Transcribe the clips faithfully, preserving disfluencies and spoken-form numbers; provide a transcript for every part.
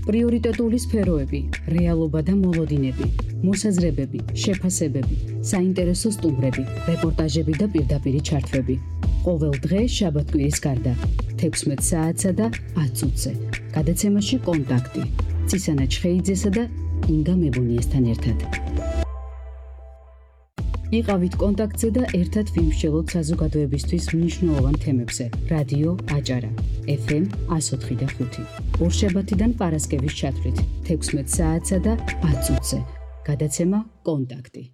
პრიორიტეტული სფეროები, რეალობა და მოლოდინები, მოსაზრებები, შეფასებები, საინტერესო სტუმრები, რეპორტაჟები და პირდაპირი ჩართვები. ყოველ დღე შაბათ-კვირის გარდა, თექვსმეტ საათსა და ათ წუთზე. გადაცემაში კონტაქტი. ცისანა ჩხეიძესა და ინგა მებუნიესთან ერთად. იყავით კონტაქტზე და ერთად ვიმსჯელოთ საზოგადოებისთვის მნიშვნელოვან თემებზე. რადიო აჭარა, ეფ ემ εκατო ოთხი და ხუთი. ორშაბათიდან პარასკევის ჩათვლით, თექვსმეტ საათსა და ათ წუთზე. გადაცემა კონტაქტი.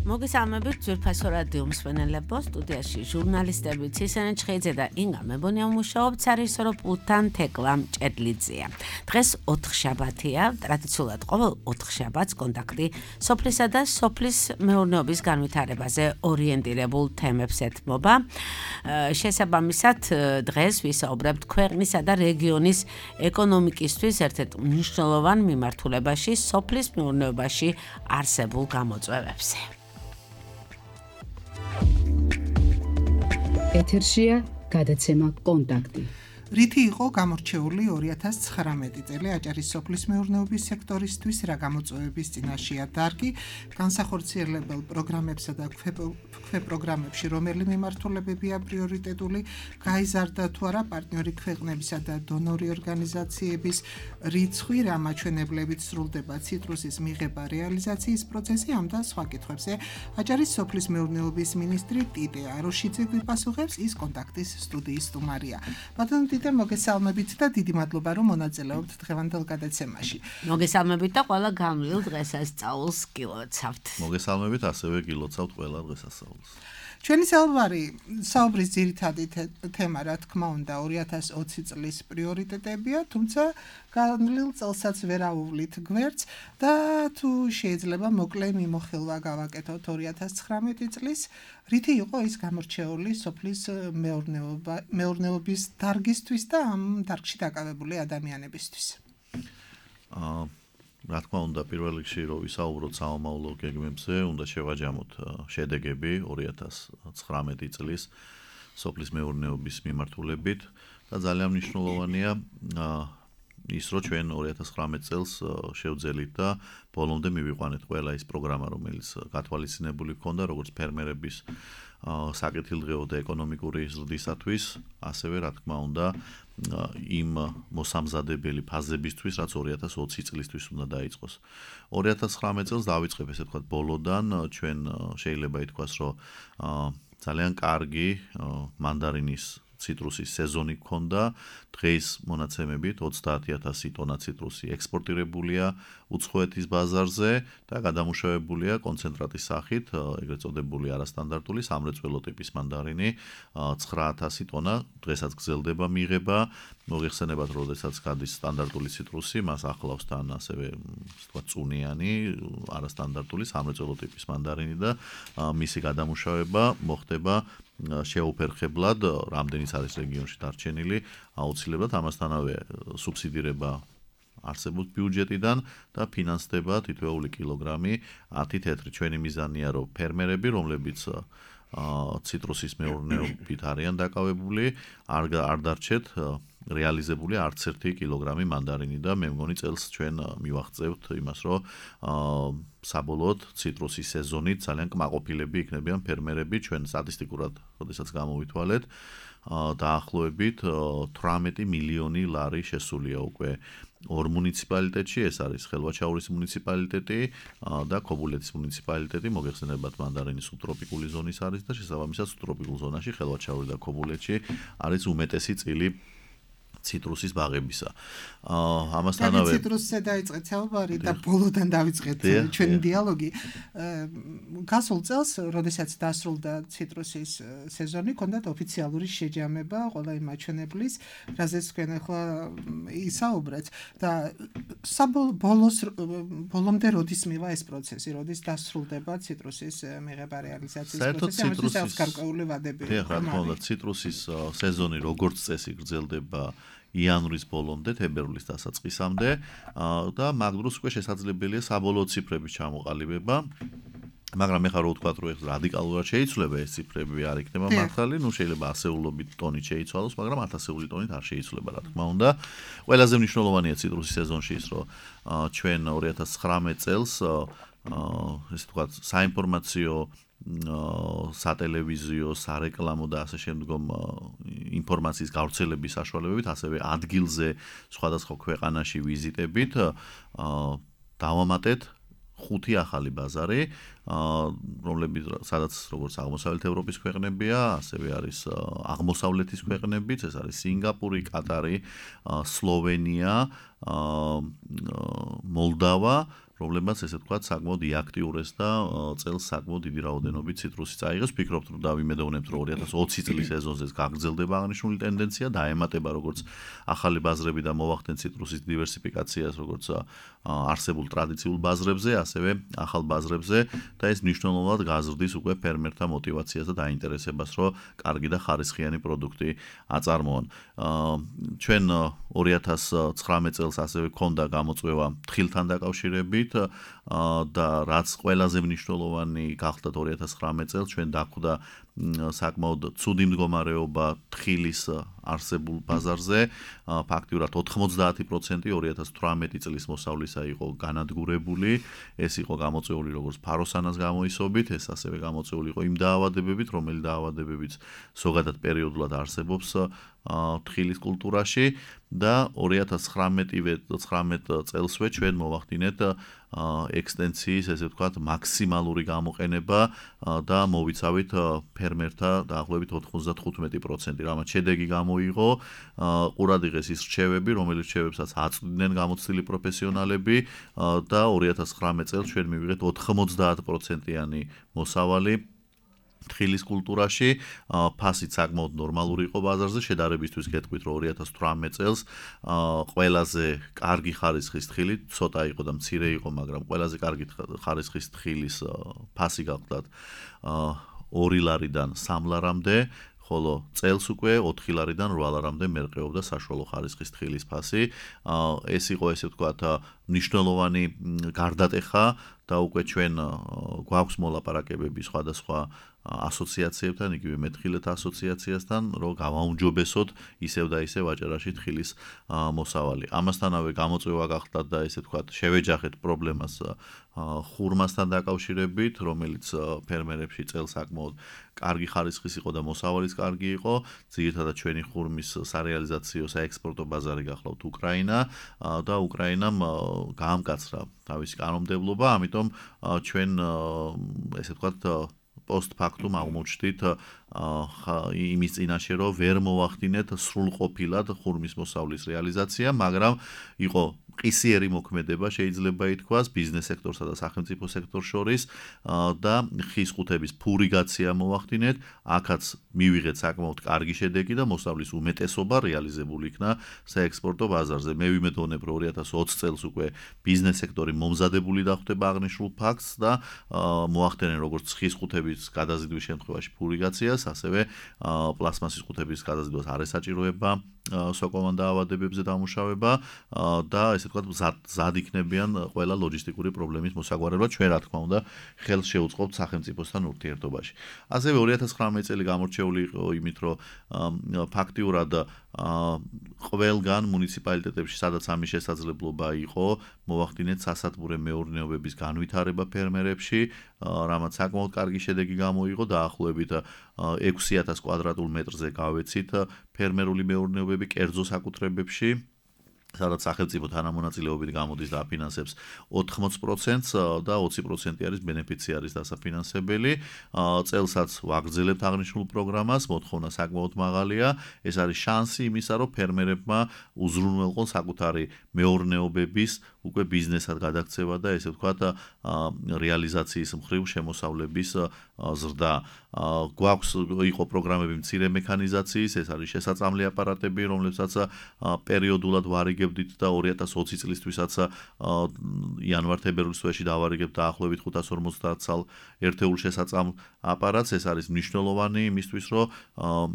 მოგესალმებით ძვირფასო რადიო მსმენელებო, სტუდიაში ჟურნალისტები ცისანა ჩხეიძე და ინგა მებონია მუშაობთ, სარეჟისორო პულტთან თეკლა მჭედლიძეა. დღეს ოთხშაბათია, ტრადიციულად ყოველ ოთხშაბათს კონტაქტი სოფლისა და სოფლის მეურნეობის განვითარებაზე ორიენტირებულ თემებს ეთმობა. შესაბამისად, დღეს ვისაუბრებთ ქვეყნისა და რეგიონის ეკონომიკისთვის ერთ-ერთ მნიშვნელოვან მიმართულებაში, სოფლის მეურნეობაში არსებულ გამოწვევებზე. ეთერშია გადაცემა კონტაქტი. რითი იყო გამორჩეული ორი ათას ცხრამეტი წელი აჭარის სოფლის მეურნეობის სექტორისთვის, რა გამოწვევების წინაშეა დარგი, განსახორციელებელ პროგრამებსა და ქვეპროგრამებში რომელი მიმართულებებია პრიორიტეტული, გაიზარდა თუ არა პარტნიორი ქვეყნებისა და დონორი ორგანიზაციების რიცხვი, რა მაჩვენებლებით სრულდება ციტრუსის მიღება რეალიზაციის პროცესი, ამ და სხვა კითხვებზე აჭარის სოფლის მეურნეობის მინისტრი ტიტე აროშიძე გვიპასუხებს, ის კონტაქტის სტუდიის სტუმარია. ბატონო ტიტე, მოგესალმებით და დიდი მადლობა, რომ მონაწილეობთ დღევანდელ გადაცემაში. მოგესალმებით და ყველა გამლილ დღესასწაულს გილოცავთ. მოგესალმებით, ასევე გილოცავთ ყველა დღესასწაულს. ჩვენი საუბარი, საუბრის ძირითადი თემა, რა თქმა უნდა, ორი ათას ოცი წლის პრიორიტეტებია, თუმცა გამლილ წელსაც ვერ აუვლით გვერდს და თუ შეიძლება მოკლე მიმოხილვა გავაკეთოთ ორი ათას ცხრამეტი წლის, რითი იყო ის გამორჩეული სოფლის მეურნეობა, მეურნეობის დარგისთვის და ამ დარგში დაკავებული ადამიანებისთვის. აა რა თქმა უნდა, პირველ რიგში რომ ვისაუბროთ სამომავლო გეგმებზე, უნდა შევაჯამოთ შედეგები ორი ათას ცხრამეტი წლის სოფლის მეურნეობის მიმართულებით და ძალიან მნიშვნელოვანია ის, რომ ჩვენ ორი ათას ცხრამეტ წელს შევძელით და ბოლომდე მივიყვანეთ ყველა ის პროგრამა, რომელიც გათვალისწინებული ჰქონდა, როგორც ფერმერების საკეთილდღეო და ეკონომიკური ზრდისათვის, ასევე რა თქმა უნდა იმ მოსამზადებელი ფაზებისთვის, რაც ორი ათას ოცი წლისთვის უნდა დაიწყოს. ორი ათას ცხრამეტ წელს დავიწყებ, ესე ვთქვათ, ბოლოდან, ჩვენ შეიძლება ითქვას, რომ ძალიან კარგი მანდარინის ციტრუსის სეზონი გქონდა, დღეს მონაცემებით ოცდაათი ათასი ტონა ციტრუსი ექსპორტირებულია უცხოეთის ბაზარზე და გადამუშავებულია კონცენტრატის სახით, ეგრეთ წოდებული არასტანდარტული სამრეწველო ტიპის მანდარინი ცხრა ათასი ტონა, დღესაც გრძელდება მიღება. მოგეხსენებათ, როდესაც გადის სტანდარტული ციტრუსი, მას ახლავს თან ასევე ვთქვათ წუნიანი, არასტანდარტული სამრეწველო ტიპის მანდარინი და მისი გადამუშავება მოხდება შეუფერხებლად, რამდენიც არის რეგიონში დარჩენილი, აუცილებლად ამასთანავე სუბსიდირება არსებობს ბიუჯეტიდან და ფინანსდება თითოეული კილოგრამი ათი თეთრი. ჩვენი მიზანია, რომ ფერმერები, რომლებიც ციტრუსის მეურნეობით არიან დაკავებული, არ არ დარჩეთ რეალიზებული არც ერთი კილოგრამი მანდარინი და მე მგონი წელს ჩვენ მივაღწევთ იმას, რომ საბოლოოდ ციტრუსის სეზონით ძალიან კმაყოფილები იქნებიან ფერმერები. ჩვენ სტატისტიკურად, როდესაც გამოვითვალეთ, დაახლოებით თვრამეტი მილიონი ლარი შესულია უკვე ორ მუნიციპალიტეტში, ეს არის ხელვაჩაურის მუნიციპალიტეტი და ქობულეთის მუნიციპალიტეტი. მოგეხსენებათ, მანდარინი სუბტროპიკული ზონის არის და შესაბამისად სუბტროპიკულ ზონაში ხელვაჩაური და ქობულეთში არის უმეტესი წილი ციტრუსის ბაღებისა. ამასთანავე ციტრუსზე დაიწყეთ საუბარი და ბოლოდან დავიწყეთ ჩვენი დიალოგი. გასულ წელს, როდესაც დასრულდა ციტრუსის სეზონი, ჰქონდათ ოფიციალური შეჯამება ყველა იმ მაჩვენებლის, რაზეც თქვენ ახლა ისაუბრეთ და საბოლოოს ბოლომდე როდის მივა ეს პროცესი, როდის დასრულდება ციტრუსის მიღება რეალიზაციის პროცესი, ამას გარკვეული ვადები. რა თქმა უნდა, ციტრუსის სეზონი როგორც წესი გრძელდება იანვრის ბოლომდე, თებერვლის დასაწყისამდე და მაგ დროს უკვე შესაძლებელია საბოლოო ციფრების ჩამოყალიბება. მაგრამ მე ხარ რო ვთქვა რომ ეს რადიკალურად შეიცვლება ეს ციფრები არ იქნება მართალი, ნუ შეიძლება ასეულობით ტონით შეიცვალოს, მაგრამ ათასეული ტონით არ შეიცვლება, რა თქმა უნდა. ყველაზე მნიშვნელოვანია ციტრუსის სეზონში ის, რომ ჩვენ ორი ათას ცხრამეტ წელს ესე ვთქვათ, საინფორმაციო, სატელევიზიო, სარეკლამო და ასე შემდგომ ინფორმაციის გავრცელების საშუალებებით, ასევე ადგილზე სხვადასხვა ქვეყანაში ვიზიტებით დავამატეთ ხუთი ახალი ბაზარი, რომლებიც სადაც როგორც აღმოსავლეთ ევროპის ქვეყნებია, ასევე არის აღმოსავლეთის ქვეყნებიც, ეს არის სინგაპური, კატარი, სლოვენია, მოლდავა, რომლებმაც ესე ვთქვათ, საკმაოდ იაქტიურეს და წელს საკმაოდ დიდი რაოდენობით ციტრუსი წაიღეს. Ვფიქრობთ, რომ დავიმედოვნებთ, რომ ორი ათას ოცი წლის სეზონზე გაგრძელდება აღნიშნული ტენდენცია, დაემატება როგორც ახალი ბაზრები და მოვახდენ ციტრუსის დივერსიფიკაციას, როგორც არსებულ ტრადიციულ ბაზრებზე, ასევე ახალ ბაზრებზე და ეს მნიშვნელოვნად გაზრდის უკვე ფერმერთა мотивაციას და დაინტერესებას, რომ კარგი და ხარისხიანი პროდუქტი აწარმოონ. ჩვენ ორი ათას ცხრამეტ წელს ასევე ქონდა გამოწვევა თხილთან დაკავშირებით და რაც ყველაზე მნიშვნელოვანი გახდათ ორი ათას ცხრამეტ წელს ჩვენ დახვდა საკმაოდ ცუდი მდგომარეობა თხილის არსებულ ბაზარზე, ფაქტიურად ოთხმოცდაათი პროცენტი ორი ათას თვრამეტი წლის მოსავლისა იყო განადგურებული, ეს იყო გამოწვეული როგორც ფაროსანას გამოისობით, ეს ასევე გამოწვეული იყო იმ დაავადებებით, რომელი დაავადებებიც ზოგადად პერიოდულად არსებობს თხილის კულტურაში და ორი ათას ცხრამეტ წელსვე ჩვენ მოვახდინეთ ექსტენციის, ესე ვთქვათ, მაქსიმალური გამოყენება და მოვიცავით ფერმერთა დაახლოებით ოთხმოცდათხუთმეტი პროცენტი, რამაც შედეგი გამოიღო, ყურადღეს ის რჩევები, რომელიც რჩევებსაც აწვდიდნენ გამოცდილი პროფესიონალები და ორი ათას ცხრამეტ წელს ჩვენ მივიღეთ ოთხმოცდაათ პროცენტიანი მოსავალი თხილის კულტურაში, ფასით საკმაოდ ნორმალური იყო ბაზარზე, შედარებისთვის გეტყვით, რომ ორი ათას თვრამეტ წელს ყველაზე კარგი ხარისხის თხილი, ცოტა იყო და მცირე იყო, მაგრამ ყველაზე კარგი ხარისხის თხილის ფასი გახლდათ ორი ლარიდან სამ ლარამდე, ხოლო წელს უკვე ოთხი ლარიდან რვა ლარამდე მერყეობდა საშუალო ხარისხის თხილის ფასი. ეს იყო, ესე ვთქვათ, მნიშვნელოვანი გარდატეხა და უკვე ჩვენ გვაქვს მოლაპარაკებები სხვადასხვა ასოციაციებთან, იგივე მეთხილეთა ასოციაციასთან, რომ გავაუმჯობესოთ ისევ და ისევ აჭარაში თხილის მოსავალი. ამასთანავე გამოწვევა გახდათ და ესე ვთქვათ, შევეჯახეთ პრობლემას ხურმასთან დაკავშირებით, რომელიც ფერმერებში წელს საკმაოდ კარგი ხარისხის იყო და მოსავალიც კარგი იყო. ძირითადად ჩვენი ხურმის სარეალიზაციო საექსპორტო ბაზარი გახლავთ უკრაინა და უკრაინამ გაამკაცრა თავისი კანონმდებლობა, ამიტომ ჩვენ ესე ვთქვათ post-factum აღმოჩნდით იმის წინაშე, რომ ვერ მოვახდინეთ სრულყოფილად ხურმის მოსავლის რეალიზაცია, მაგრამ იყო ყისიერი მოქმედება შეიძლება ითქვას ბიზნეს სექტორსა და სახელმწიფო სექტორს შორის და ხის ყუთების ფურიგაცია მოვახდინეთ, აქაც მივიღეთ საკმაოდ კარგი შედეგი და მოსავლის უმეტესობა რეალიზებული იქნა საექსპორტო ბაზარზე. მე ვიმედოვნებ, რომ ორი ათას ოცი წელს უკვე ბიზნეს სექტორი მომზადებული დახვდება აღნიშნულ ფაქტს და მოახდენენ როგორც ხის ყუთების გადაზიდვის შემთხვევაში ფურიგაციას, ასევე პლასმასის ყუთების გადაზიდვას არ ესაჭიროება სოკოვან დაავადებებზე დამუშავება და ესე ვთქვათ ზად იქნებიან ყველა ლოჯისტიკური პრობლემის მოსაგვარებლად, ჩვენ რა თქმა უნდა ხელს შეუწყობთ სახელმწიფოსთან ურთიერთობაში. ასევე ორი ათას ცხრამეტ წელი გამორჩეული იყო იმით, რომ ფაქტიურად ყველგან მუნიციპალიტეტებში, სადაც ამის შესაძლებლობა იყო, მოვახდინეთ სასათბურე მეურნეობების განვითარება ფერმერებში, რამაც საკმაოდ კარგი შედეგი გამოიღო, დაახლოებით ექვსი ათას კვადრატულ მეტრზე გავეცით ფერმერული მეურნეობები კერძო საკუთრებებში, სადაც სახელმწიფო თანამონაწილეობით გამოდის და აფინანსებს ოთხმოცი პროცენტს და ოცი პროცენტი არის ბენეფიციარის დასაფინანსებელი. წელსაც ვაგრძელებთ აღნიშნულ პროგრამას, მოთხოვნა საკმაოდ მაღალია. ეს არის შანსი იმისა, რომ ფერმერებმა უზრუნველყონ საკუთარი მეურნეობების უკვე ბიზნესად გადაქცევა და ესე ვთქვათ რეალიზაციის მხრივ შემოსავლების ზრდა. გვაქვს იყო პროგრამები მცირე მექანიზაციის, ეს არის შესაწამლი აპარატები, რომლებსაც პერიოდულად ვარიგებდით და ორი ათას ოცი წლისთვისაც იანვარ-თებერვლის თვეში დავარიგებთ დაახლოებით ხუთას ორმოცდაათ ცალ ერთეულ შესაწამლ აპარატს. ეს არის მნიშვნელოვანი იმისთვის, რომ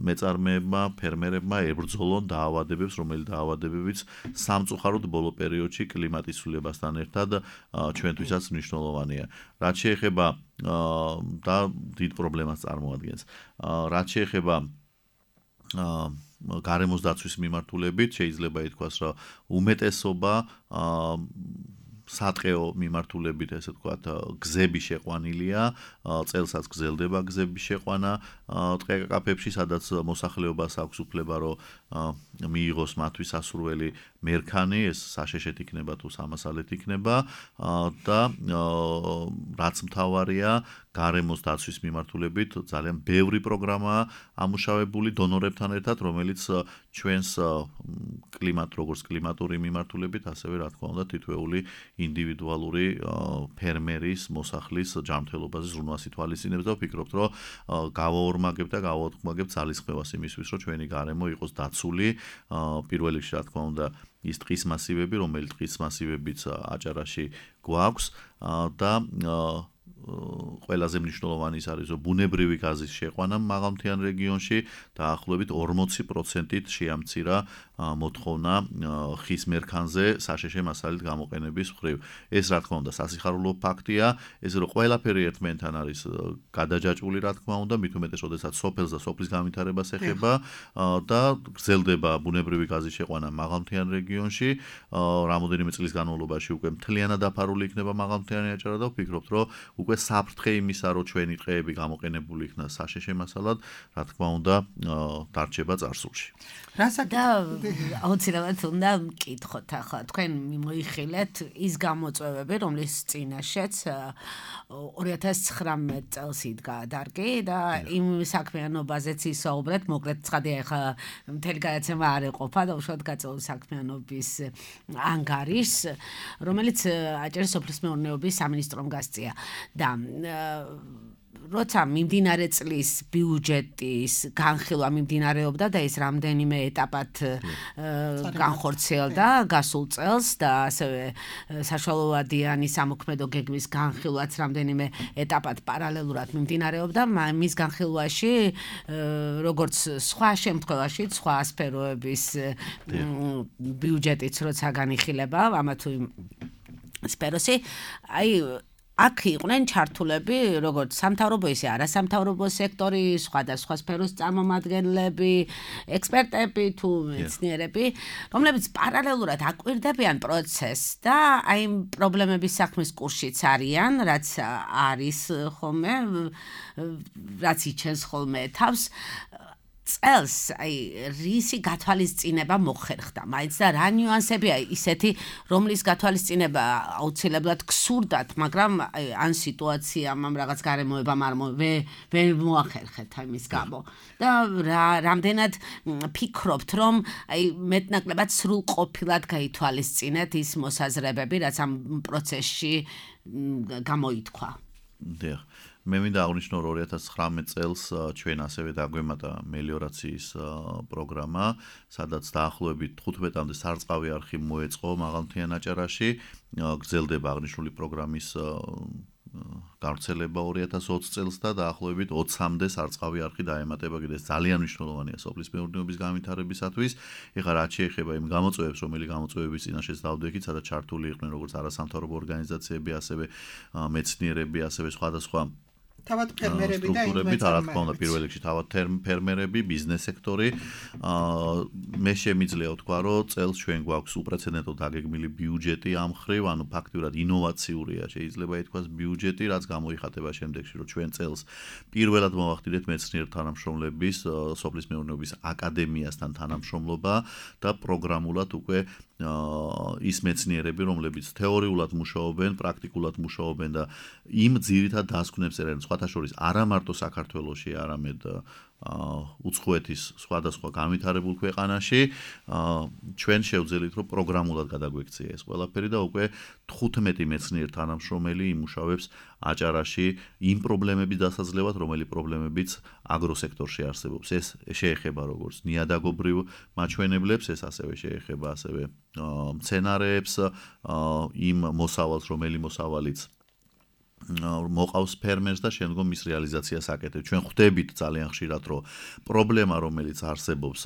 მეწარმეებმა, ფერმერებმა ებრძოლონ დაავადებებს, რომელი დაავადებებიც სამწუხაროდ ბოლო პერიოდში კლიმატის შესრულებასთან ერთად ჩვენთვისაც მნიშვნელოვანია. რაც შეეხება და დიდ პრობლემას წარმოადგენს. რაც შეეხება გარემოს დაცვის მიმართულებით შეიძლება ითქვას, რომ უმეტესობა სატყეო მიმართულებით, ესე ვთქვათ, გზები შეყვანილია, წელსაც გზელდება გზების შეყვანა ტყე-კაფეებში, სადაც მოსახლეობას აქვს უფლება, რომ მიიღოს მათთვის სასურველი მერქანი, ეს საშეშეთ იქნება თუ სამასალეთ იქნება და რაც მთავარია, გარემოს დაცვის მიმართულებით ძალიან ბევრი პროგრამაა ამუშავებული დონორებთან ერთად, რომელიც ჩვენს კლიმატ როგორც კლიმატური მიმართულებით, ასევე რა თქმა უნდა თითოეული ინდივიდუალური ფერმერის, მოსახლის ჯანმრთელობაზე ზრუნვას ითვალისწინებს და ვფიქრობთ, რომ გავაორმაგებთ და გავათხმაგებთ ძალისხმევას იმისთვის, რომ ჩვენი გარემო იყოს დაცული, პირველ რიგში რა თქმა უნდა ის ტყის მასივები, რომელიც ტყის მასივებიც აჭარაში გვაქვს და ყველაზე მნიშვნელოვანი ის არის, რომ ბუნებრივი გაზის შეყვანა მაღალმთიან რეგიონში დაახლოებით ორმოცი პროცენტით შეამცირა მოთხოვნა ხის მერქანზე საშეშე მასალით გამოყენების მხრივ. ეს რა თქმა უნდა სასიხარულო ფაქტია, ეს რომ ყველაფერი ერთმანეთთან არის გადაჯაჭვული რა თქმა უნდა, მით უმეტეს როდესაც სოფელს და სოფლის განვითარებას ეხება და გრძელდება ბუნებრივი გაზის შეყვანა მაღალმთიან რეგიონში, რამოდენიმე წლის განმავლობაში უკვე მთლიანად დაფარული იქნება მაღალმთიანი აჭარა და ვფიქრობთ, რომ უკვე საფრთხე იმისა, რომ ჩვენი ტყეები გამოყენებული იქნა საშეშე მასალად, რა თქმა უნდა, დარჩება წარსულში. და აუცილებლად უნდა მკითხოთ ახლა თქვენ მოიხილეთ ის გამოწვევები, რომლის წინაშეც ორი ათას ცხრამეტ წელს იდგა დარგი და იმ საქმიანობაზეც ისაუბრეთ, მოკლედ ცხადია ახლა მთელი გადაცემა არ ეყოფა და უშუალოდ გაწეული საქმიანობის ანგარის, რომელიც აჭარის სოფლის მეურნეობის სამინისტრომ გასწია. და როცა მიმდინარე წლის ბიუჯეტის განხილვა მიმდინარეობდა და ის რამდენიმე ეტაპად განხორციელდა გასულ წელს და ასევე საშუალოვადიანი სამოქმედო გეგმის განხილვაც რამდენიმე ეტაპად პარალელურად მიმდინარეობდა, მის განხილვაში როგორც სხვა შემთხვევაში სხვა სფეროების ბიუჯეტიც როცა განიხილება ამა თუ იმ სფეროსი, აი აქ იყვნენ ჩართულები, როგორც სამთავრობო ისე არასამთავრობო სექტორი, სხვადასხვა სფეროს წარმომადგენლები, ექსპერტები თუ მეცნიერები, რომლებიც პარალელურად აკვირდებიან პროცესს და აი პრობლემების საქმის კურსშიც არიან, რაც არის ხოლმე, რაც იჩენს ხოლმე თავს. წელს აი რისი გათვალისწინება მოხერხდა, მაინც და რა ნიუანსებია ისეთი, რომლის გათვალისწინება აუცილებლად გსურდათ, მაგრამ ან სიტუაციამ ამ რაღაც გარემოებამ არ ვერ მოახერხეთ ამის გამო. და რამდენად ფიქრობთ, რომ აი მეტნაკლებად სრულყოფილად გაითვალისწინეთ ის მოსაზრებები, რაც ამ პროცესში გამოითქვა. დიახ. მე მინდა აღნიშნო, რომ ორი ათას ცხრამეტ წელს ჩვენ ასევე დაგვემატა მელიორაციის პროგრამა, სადაც დაახლოებით თხუთმეტამდე სარწყავი არხი მოეწყო მაღალმთიან აჭარაში, გრძელდება აღნიშნული პროგრამის გავრცელება ორი ათას ოცი წელს და დაახლოებით ოცამდე სარწყავი არხი დაემატება კიდეც ძალიან მნიშვნელოვანია სოფლის მეურნეობის განვითარებისათვის. ეხლა რაც შეეხება იმ გამოწვევებს, რომელი გამოწვევების წინაშეც დავდექით, სადაც ჩართული იყვნენ როგორც არასამთავრობო ორგანიზაციები, ასევე მეცნიერები, ასევე სხვადასხვა თავად ფერმერები და ინვესტორები, რა თქმა უნდა, პირველ რიგში თავად ფერმერები, ბიზნეს სექტორი. მე შემიძლია ვთქვა, რომ წელს ჩვენ გვაქვს უპრეცედენტო დაგეგმილი ბიუჯეტი ამ მხრივ, ანუ ფაქტიურად ინოვაციურია შეიძლება ითქვას ბიუჯეტი, რაც გამოიხატება შემდეგში, რომ ჩვენ წელს პირველად მოვახდინეთ მეცნიერ თანამშრომლების, სოფლის მეურნეობის აკადემიასთან თანამშრომლობა და პროგრამულად უკვე ის მეცნიერები, რომლებიც თეორიულად მუშაობენ, პრაქტიკულად მუშაობენ და იმ ძირითად დასკვნებს ერენ სხვათა შორის არა მარტო საქართველოში, არამედ უცხოეთის სხვადასხვა განვითარებულ ქვეყანაში, ჩვენ შევძელით, რომ პროგრამულად გადაგვექცია ეს ყველაფერი და უკვე თხუთმეტი მეცნიერ თანამშრომელი იმუშავებს აჭარაში იმ პრობლემების დასაძლევად, რომელი პრობლემებიც აგროსექტორში არსებობს. ეს შეეხება როგორც ნიადაგობრივ მაჩვენებლებს, ეს ასევე შეეხება ასევე მცენარეებს, იმ მოსავალს, რომელი მოსავალიც მოყავს ფერმერს და შემდგომ მის რეალიზაციას აკეთებს. ჩვენ ხვდებით ძალიან ხშირად, რომ პრობლემა, რომელიც არსებობს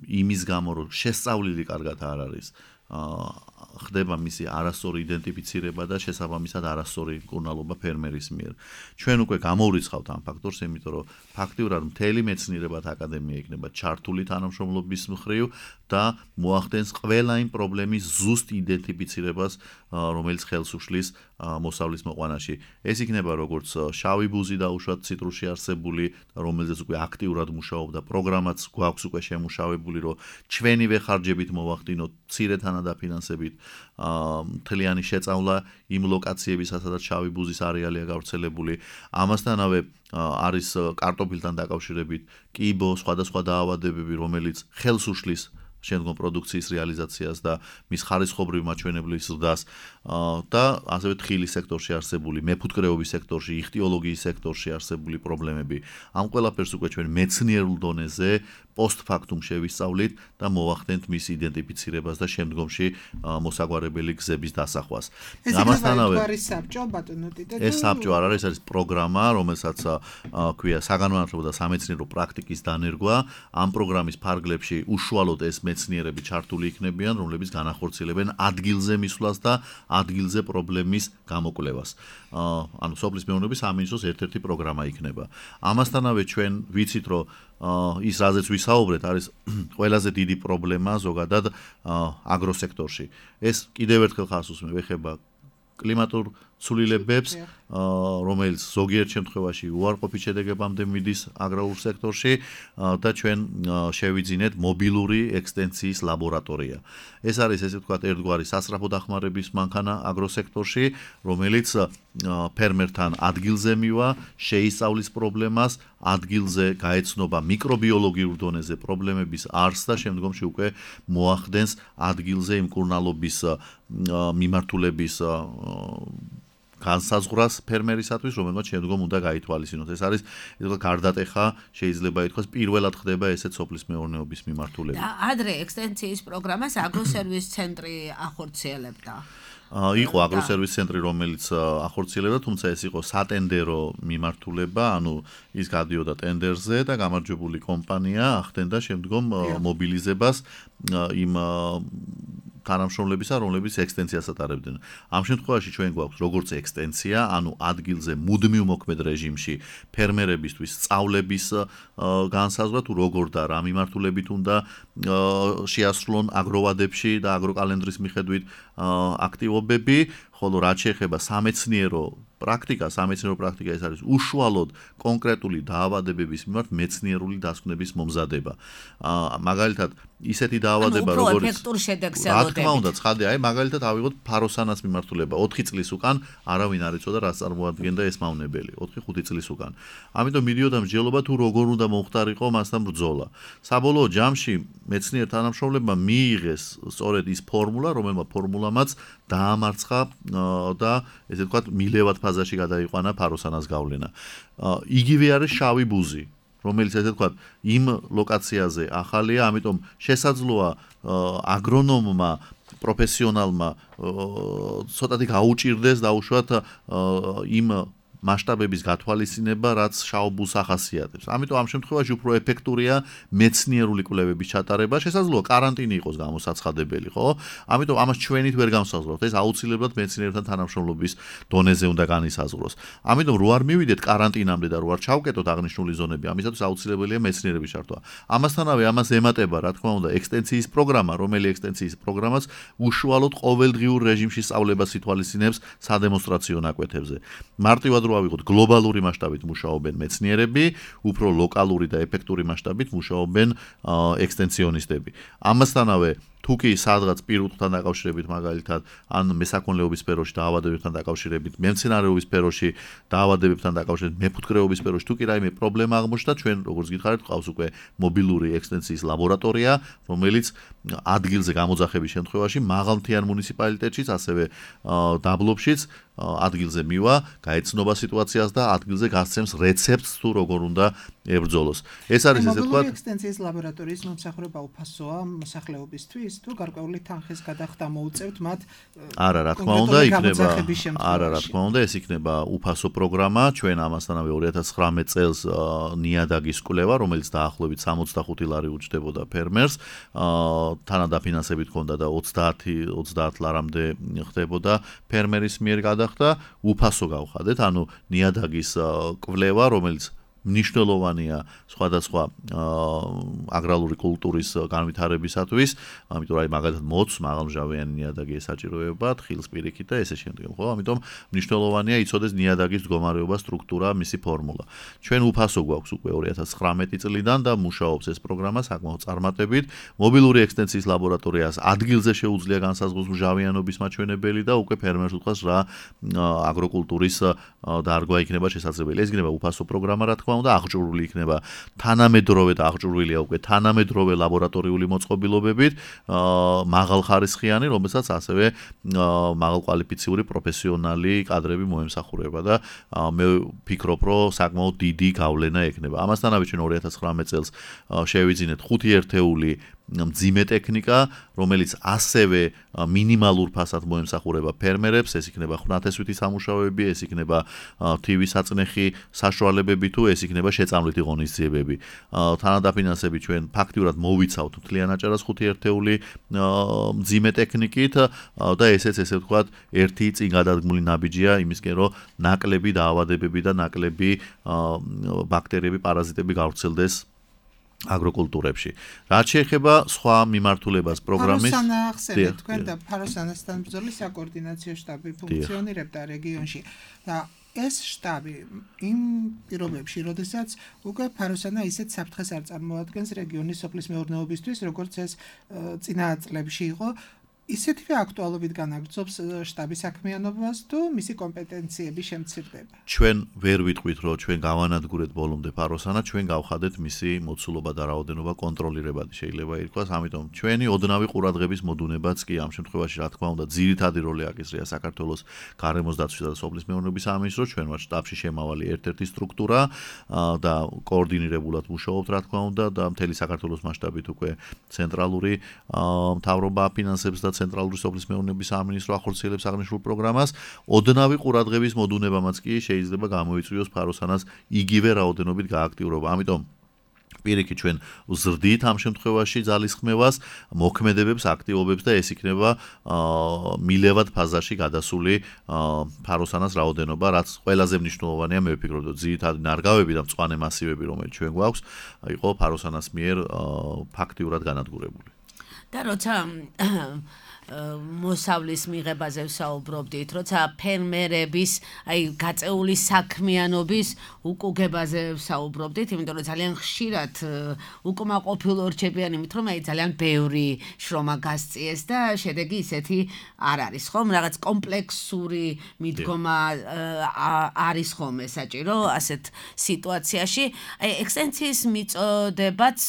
იმის გამო, რომ შესწავლილი კარგად არ არის ხდება მისი არასწორი იდენტიფიცირება და შესაბამისად არასწორი მკურნალობა ფერმერის მიერ. ჩვენ უკვე გამოვრიცხავთ ამ ფაქტორს, იმიტომ რომ ფაქტიურად მთელი მეცნიერებათა აკადემია იქნება ჩართული თანამშრომლობის მხრივ და მოახდენს ყველა იმ პრობლემის ზუსტ იდენტიფიცირებას, რომელიც ხელს უშლის მოსავლის მოყვანაში. ეს იქნება როგორც შავი ბუზი დაუშვათ ციტრუსში არსებული, რომელზეც უკვე აქტიურად მუშაობდა პროგრამაც გვაქვს უკვე შემუშავებული, რომ ჩვენივე ხარჯებით მოვახდინოთ მცირე თანადაფინანსებით მთლიანი შეწავლა იმ ლოკაციებისა, სადაც შავი ბუზის არეალია გავრცელებული. ამასთანავე არის კარტოფილთან დაკავშირებით კიბო, სხვადასხვა დაავადებები, რომელიც ხელს უშლის შემდგომ პროდუქციის რეალიზაციას და მის ხარისხობრივ მაჩვენებლის ზრდას და ასევე თხილის სექტორში არსებული, მეფუტკრეობის სექტორში, იხტიოლოგიის სექტორში არსებული პრობლემები. ამ ყველაფერს უკვე ჩვენ მეცნიერულ დონეზე პოსტფაქტუმ შევისწავლით და მოვახდენთ მის იდენტიფიცირებას და შემდგომში მოსაგვარებელი გზების დასახვას. ამასთანავე არის საბჭო ბატონო ტიტე. ეს საბჭო არ არის, არის პროგრამა, რომელსაც ქვია საგანმანათლებლო და სამეცნიერო პრაქტიკის დანერგვა. ამ პროგრამის ფარგლებში უშუალოდ ეს მეცნიერები ჩართული იქნებიან, რომლებიც განახორციელებენ ადგილზე მისვლას და ადგილზე პრობლემის გამოკვლევას. ანუ სოფლის მეურნეობის სამინისტროს ერთ-ერთი პროგრამა იქნება. ამასთანავე ჩვენ ვიცით, რომ ის რაზეც ვისაუბრეთ, არის ყველაზე დიდი პრობლემა ზოგადად აგროსექტორში. ეს კიდევ ერთხელ ხაზს უსმევ, ეხება კლიმატურ ცვლილებებს, რომელიც ზოგიერთ შემთხვევაში უარყოფით შედეგებამდე მიდის აგრარულ სექტორში და ჩვენ შევიძინეთ მობილური ექსტენციის ლაბორატორია. ეს არის ესე ვთქვათ ერთგვარი სასწრაფო დახმარების მანქანა აგროსექტორში, რომელიც ფერმერთან ადგილზე მივა, შეისწავლის პრობლემას, ადგილზე გაეცნობა მიკრობიოლოგიურ დონეზე პრობლემების არსს და შემდგომში უკვე მოახდენს ადგილზე იმ მკურნალობის მიმართულების განსაზღვრას ფერმერისათვის, რომელმაც შემდგომ უნდა გაითვალისწინოს. ეს არის ისე გარდატეხა, შეიძლება ითქვას, პირველად ხდება ესეც სოფლის მეურნეობის მიმართულებით. და ადრე ექსტენციის პროგრამას აგროსერვის ცენტრი ახორციელებდა. იყო აგროსერვის ცენტრი, რომელიც ახორციელებდა, თუმცა ეს იყო სატენდერო მიმართულება, ანუ ის გადიოდა ტენდერზე და გამარჯვებული კომპანია ახდენდა შემდგომ მობილიზებას იმ თანამშრომლებისა, რომლებიც ექსტენციას ატარებდნენ. ამ შემთხვევაში ჩვენ გვაქვს როგორც ექსტენცია, ანუ ადგილზე მუდმივ მოქმედ რეჟიმში ფერმერებისთვის სწავლების განსაზღვრა, თუ როგორ და რა მიმართულებით უნდა შეასრულონ აგროვადებში და აგროკალენდრის მიხედვით აქტივობები, ხოლო რაც შეეხება სამეცნიერო პრაქტიკა, სამეცნიერო პრაქტიკა ეს არის უშუალოდ კონკრეტული დაავადებების მიმართ მეცნიერული დასკვნების მომზადება. მაგალითად, ისეთი დაავადება, როგორც ეფექტურ შედეგს ელოდებით. რა თქმა უნდა, ცხადია, აი მაგალითად ავიღოთ ფაროსანას მიმართულება. ოთხი წლის უკან არავინ არ იცოდა რა წარმოადგენდა ეს მავნებელი, ოთხი ხუთი წლის უკან. ამიტომ მიდიოდა მსჯელობა თუ როგორ უნდა მომხდარიყო მასთან ბრძოლა. საბოლოო ჯამში მეცნიერ თანამშრომლებმა მიიღეს სწორედ ის ფორმულა, რომელმა ფორმულამაც დაამარცხა და ესე ვთქვათ, მილევად ფაზაში გადაიყვანა ფაროსანას გავლენა. იგივე არის შავი ბუზი, რომელიც ესე ვთქვათ, იმ ლოკაციაზე ახალია, ამიტომ შესაძლოა აგრონომმა პროფესიონალმა ცოტათი გაუჭირდეს დაუშვათ იმ მასშტაბების გათვალისწინება, რაც შავბუზს ახასიათებს. ამიტომ ამ შემთხვევაში უფრო ეფექტურია მეცნიერული კვლევების ჩატარება, შესაძლოა каранტინი იყოს გამოსაცხადებელი, ხო? ამიტომ ამას ჩვენით ვერ განსაზღვრავთ, ეს აუცილებლად მეცნიერებთან თანამშრომლობის დონეზე უნდა განისაზღვროს. ამიტომ რო არ მივიდეთ каранტინამდე და რო არ ჩავკეტოთ აღნიშნული ზონები, ამისათვის აუცილებელია მეცნიერების ჩართვა. ამასთანავე ამას ემატება, რა თქმა უნდა, ექსტენციის პროგრამა, რომელი ექსტენციის პროგრამაც უშუალოდ ყოველდღიურ რეჟიმში სწავლებას ითვალისწინებს სადემონსტრაციო ნაკვეთებზე. მარტივად ავიღოთ გლობალური მასშტაბით მუშაობენ მეცნიერები, უფრო ლოკალური და ეფექტური მასშტაბით მუშაობენ ექსტენციონისტები. ამასთანავე თუ კი სადღაც პირუტყვთან დაკავშირებით მაგალითად ან მესაქონლეობის სფეროში დაავადებებთან დაკავშირებით, მემცენარეობის სფეროში დაავადებებთან დაკავშირებით, მეფუტკრეობის სფეროში თუ კი რაიმე პრობლემა აღმოჩნდა, ჩვენ როგორც გითხარით, ყავს უკვე მობილური ექსტენციის ლაბორატორია, რომელიც ადგილზე გამოძახების შემთხვევაში მაღალმთიან მუნიციპალიტეტშიც, ასევე დაბლობშიც ადგილზე მივა, გაეცნობა სიტუაციას და ადგილზე გასცემს რეცეპტს თუ როგორ უნდა ებრძოლოს. ეს არის ესე ვთქვათ, ექსტენციის ლაბორატორიის მომსახურება უფასოა მოსახლეობისთვის? არის თუ გარკვეული თანხის გადახდა მოუწევთ მათ? არა, რა თქმა უნდა, იქნება არა, რა თქმა უნდა, ეს იქნება უფასო პროგრამა, ჩვენ ამასთანავე ორი ათას ცხრამეტ წელს ნიადაგის კვლევა, რომელიც დაახლოებით სამოცდახუთი ლარი უჯდებოდა ფერმერს, თანადაფინანსებით ჰქონდა და ოცდაათ ლარამდე ხდებოდა ფერმერის მიერ გადახდა, უფასო გავხადეთ, ანუ ნიადაგის კვლევა, რომელიც მნიშვნელოვანია სხვადასხვა აგრარული კულტურის განვითარებისათვის, ამიტომ აი მაგალითად მოც მაღალმჟავიანი ნიადაგი ესაჭიროება, თხილს პირიქით და ესე შემდეგ, ხო? ამიტომ მნიშვნელოვანია იცოდეს ნიადაგის მდგომარეობა, სტრუქტურა, მისი ფორმულა. ჩვენ უფასო გვაქვს უკვე ორი ათას ცხრამეტი წლიდან და მუშაობს ეს პროგრამა საკმაოდ წარმატებით. მობილური ექსტენსიის ლაბორატორიას ადგილზე შეუძლია განსაზღვროს მჟავიანობის მაჩვენებელი და უკვე ფერმერს უთხას რა აგროკულტურის დარგვა იქნება შესაძლებელი. ეს იქნება უფასო პროგრამა, რა თქმა უნდა, აღჭურვილი იქნება თანამედროვე და აღჭურვილია უკვე თანამედროვე ლაბორატორიული მოწყობილობებით, მაღალხარისხიანი, რომელსაც ასევე მაღალკვალიფიციური პროფესიონალი კადრები მოემსახურება და მე ვფიქრობ, რომ საკმაოდ დიდი გავლენა ექნება. ამასთანავე ჩვენ ორი ათას ცხრამეტ წელს შევიძინეთ ხუთი ერთეული მძიმე ტექნიკა, რომელიც ასევე მინიმალურ ფასად მოემსახურება ფერმერებს, ეს იქნება ხვნათესვითი სამუშაოები, ეს იქნება თივის საწნეხი საშუალებები თუ ეს იქნება შეწამლითი ღონისძიებები. თანადაფინანსებით ჩვენ ფაქტიურად მოვიცავთ მთლიან აჭარას ხუთი ერთეული მძიმე ტექნიკით და ესეც ესე ვთქვათ, ერთი წინ გადადგმული ნაბიჯია იმისკენ, რომ ნაკლები დაავადებები და ნაკლები ბაქტერიები, პარაზიტები გავრცელდეს აგროკულტურებში. რაც შეეხება სხვა მიმართულებას პროგრამის ფაროსანა ახსენეთ თქვენ და ფაროსანასთან ბრძოლის საკოორდინაციო შტაბი ფუნქციონირებდა რეგიონში და ეს შტაბი იმ პირობებში, როდესაც უკვე ფაროსანა ისეთ საფრთხეს არ წარმოადგენს რეგიონის სოფლის მეურნეობისთვის, როგორც ეს წინა წლებში იყო, ისეთივე აქტუალობით განაგრძობს შტაბის საქმიანობას თუ მისი კომპეტენციები შემცირდება? ჩვენ ვერ ვიტყვით, რომ ჩვენ გავანადგურეთ ბოლომდე ფაროსანა, ჩვენ გავხადეთ მისი მოცულობა და რაოდენობა კონტროლირებადი შეიძლება ითქვას, ამიტომ ჩვენი ოდნავი ყურადღების მოდუნებაც კი ამ შემთხვევაში, რა თქმა უნდა, ძირითადი როლი აკისრია საქართველოს გარემოს დაცვისა და სოფლის მეურნეობის სამინისტროს, ჩვენ ვართ შტაბში შემავალი ერთ-ერთი სტრუქტურა და კოორდინირებულად მუშაობთ, რა თქმა უნდა, და მთელი საქართველოს მასშტაბით უკვე ცენტრალური მთავრობა აფინანსებს და ცენტრალური სოფლის მეურნეობის სამინისტრო ახორციელებს აღნიშნულ პროგრამას, ოდნავი ყურადღების მოდუნებამაც კი შეიძლება გამოიწვიოს ფაროსანას იგივე რაოდენობით გააქტიურობა. ამიტომ პირიქით ჩვენ ვზრდით ამ შემთხვევაში ძალისხმევას, მოქმედებებს, აქტივობებს და ეს იქნება მილევად ფაზაში გადასული ფაროსანას რაოდენობა, რაც ყველაზე მნიშვნელოვანია, მე ვფიქრობ, რომ ძირითადი ნარგავები და მწვანე მასივები, რომელიც ჩვენ გვაქვს, იყო ფაროსანას მიერ ფაქტიურად განადგურებული. და როცა მოსავლის მიღებაზე ვსაუბრობდით, როცა ფერმერების, აი გაწეული საქმიანობის უკუგებაზე ვსაუბრობდით, იმიტომ რომ ძალიან ხშირად უკმაყოფილო რჩებიან იმით, რომ აი ძალიან ბევრი შრომა გასწიეს და შედეგი ისეთი არ არის, ხომ? რაღაც კომპლექსური მიდგომა არის ხომ საჭირო ასეთ სიტუაციაში. აი ექსტენსიის მიწოდებაც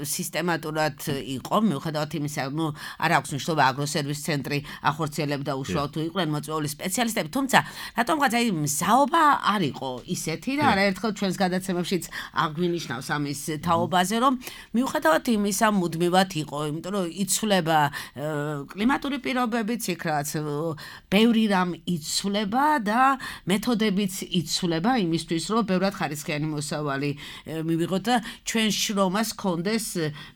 სისტემატურად იყო, მიუხედავად იმისა, ნუ არ აქვს მნიშვნელობა აგროსერვისის ცენტრი ახორციელებდა უშუალოდ თუ იყვნენ მოწვეული სპეციალისტები, თუმცა რატომღაც აი მზაობა არ იყო ისეთი და არაერთხელ ჩვენს გადაცემებშიც აღვინიშნავს ამის თაობაზე, რომ მიუხედავად იმისა მუდმივად იყო, იმიტომ რომ იცვლება კლიმატური პირობებიც, იქ რაც ბევრი რამ იცვლება და მეთოდებიც იცვლება იმისთვის, რომ ბევრად ხარისხიანი მოსავალი მივიღოთ და ჩვენ შრომას ჰქონდეს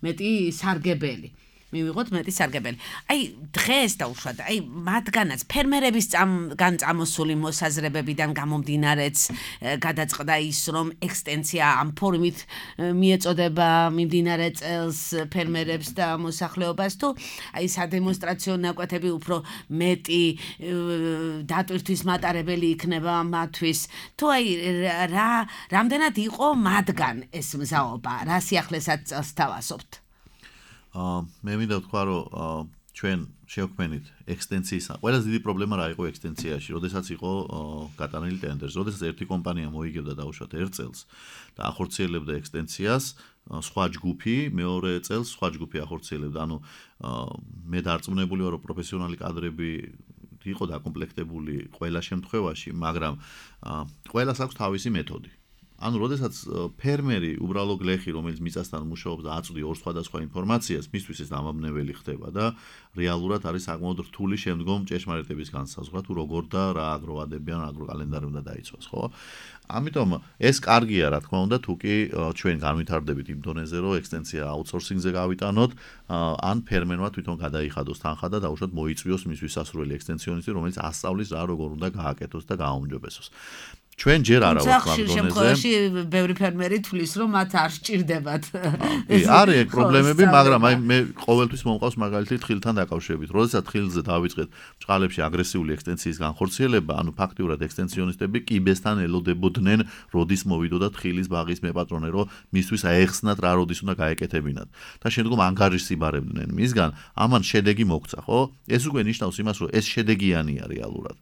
მეტი სარგებელი. მივიღოთ მეტი სარგებელი. აი დღეს დაუშვათ, აი მათგანაც ფერმერების წამოსული მოსაზრებებიდან გამომდინარეც გადაწყდა ის, რომ ექსტენსია ამ ფორმით მიეწოდება მიმდინარე წელს ფერმერებს და მოსახლეობას, თუ აი სადემონსტრაციო ნაკვეთები უფრო მეტი დატვირთვის მატარებელი იქნება მათთვის, თუ აი რა რამდენად იყო მათგან ეს მზაობა, რა სიახლესაც წელს თავაზობთ? მე მინდა ვთქვა, რომ ჩვენ შევქმნით ექსტენსიის. ყველაზე დიდი პრობლემა რა იყო ექსტენსიაში, როდესაც იყო გატანილი ტენდერს, როდესაც ერთი კომპანია მოიგებდა დაუშვათ ერთ წელს და ახორციელებდა ექსტენსიას, სხვა ჯგუფი მეორე წელს სხვა ჯგუფი ახორციელებდა. ანუ მე დარწმუნებული ვარ, რომ პროფესიონალი კადრები იყო დაკომპლექტებული ყველა შემთხვევაში, მაგრამ ყველას აქვს თავისი მეთოდი. ანუ როდესაც ფერმერი უბრალო გლეხი რომელიც მიწასთან მუშაობს და აწვდი ორ სხვადასხვა ინფორმაციას მისთვის ეს დამამნეველი ხდება და რეალურად არის საკმაოდ რთული შემდგომ ჭეშმარიტების განსაზღვრა თუ როგორ და რა აგროვადებიან აგროკალენდარი უნდა დაიცვას ხო ამიტომ ეს კარგია რა თქმა უნდა თუ კი ჩვენ განვითარდებით იმ დონეზე რომ ექსტენსია აუთსორსინგზე გავიტანოთ ან ფერმერმა თვითონ გადაიხადოს თანხა და დაუშვათ მოიწვიოს მის ვისასრული ექსტენსიონისტი რომელიც ასწავლის რა როგორ უნდა გააკეთოს და გააუმჯობესოს ჩვენ ჯერ არა ვართ ამ დონეზე. შემთხვევაში ბევრი ფერმერი თulis რომ მათ არ სჭირდებათ. კი, არის ეგ პრობლემები, მაგრამ აი მე ყოველთვის მომყავს მაგალითი თხილთან დაკავშირებით. როდესაც თხილზე დავიწყეთ ბჭყალებში აგრესიული ექსტენსიის განხორციელება, ანუ ფაქტიურად ექსტენსიონისტები კიბესთან ელოდებოდნენ, როდის მოვიდოდა თხილის ბაღის მეპატრონე, რომ მისთვის აეხსნათ რა როდის უნდა გაეკეთებინათ. და შემდგომ ანგარიშს იბარებდნენ მისგან, ამან შედეგი მოგცა, ხო? ეს უკვე ნიშნავს იმას, რომ ეს შედეგიანია რეალურად.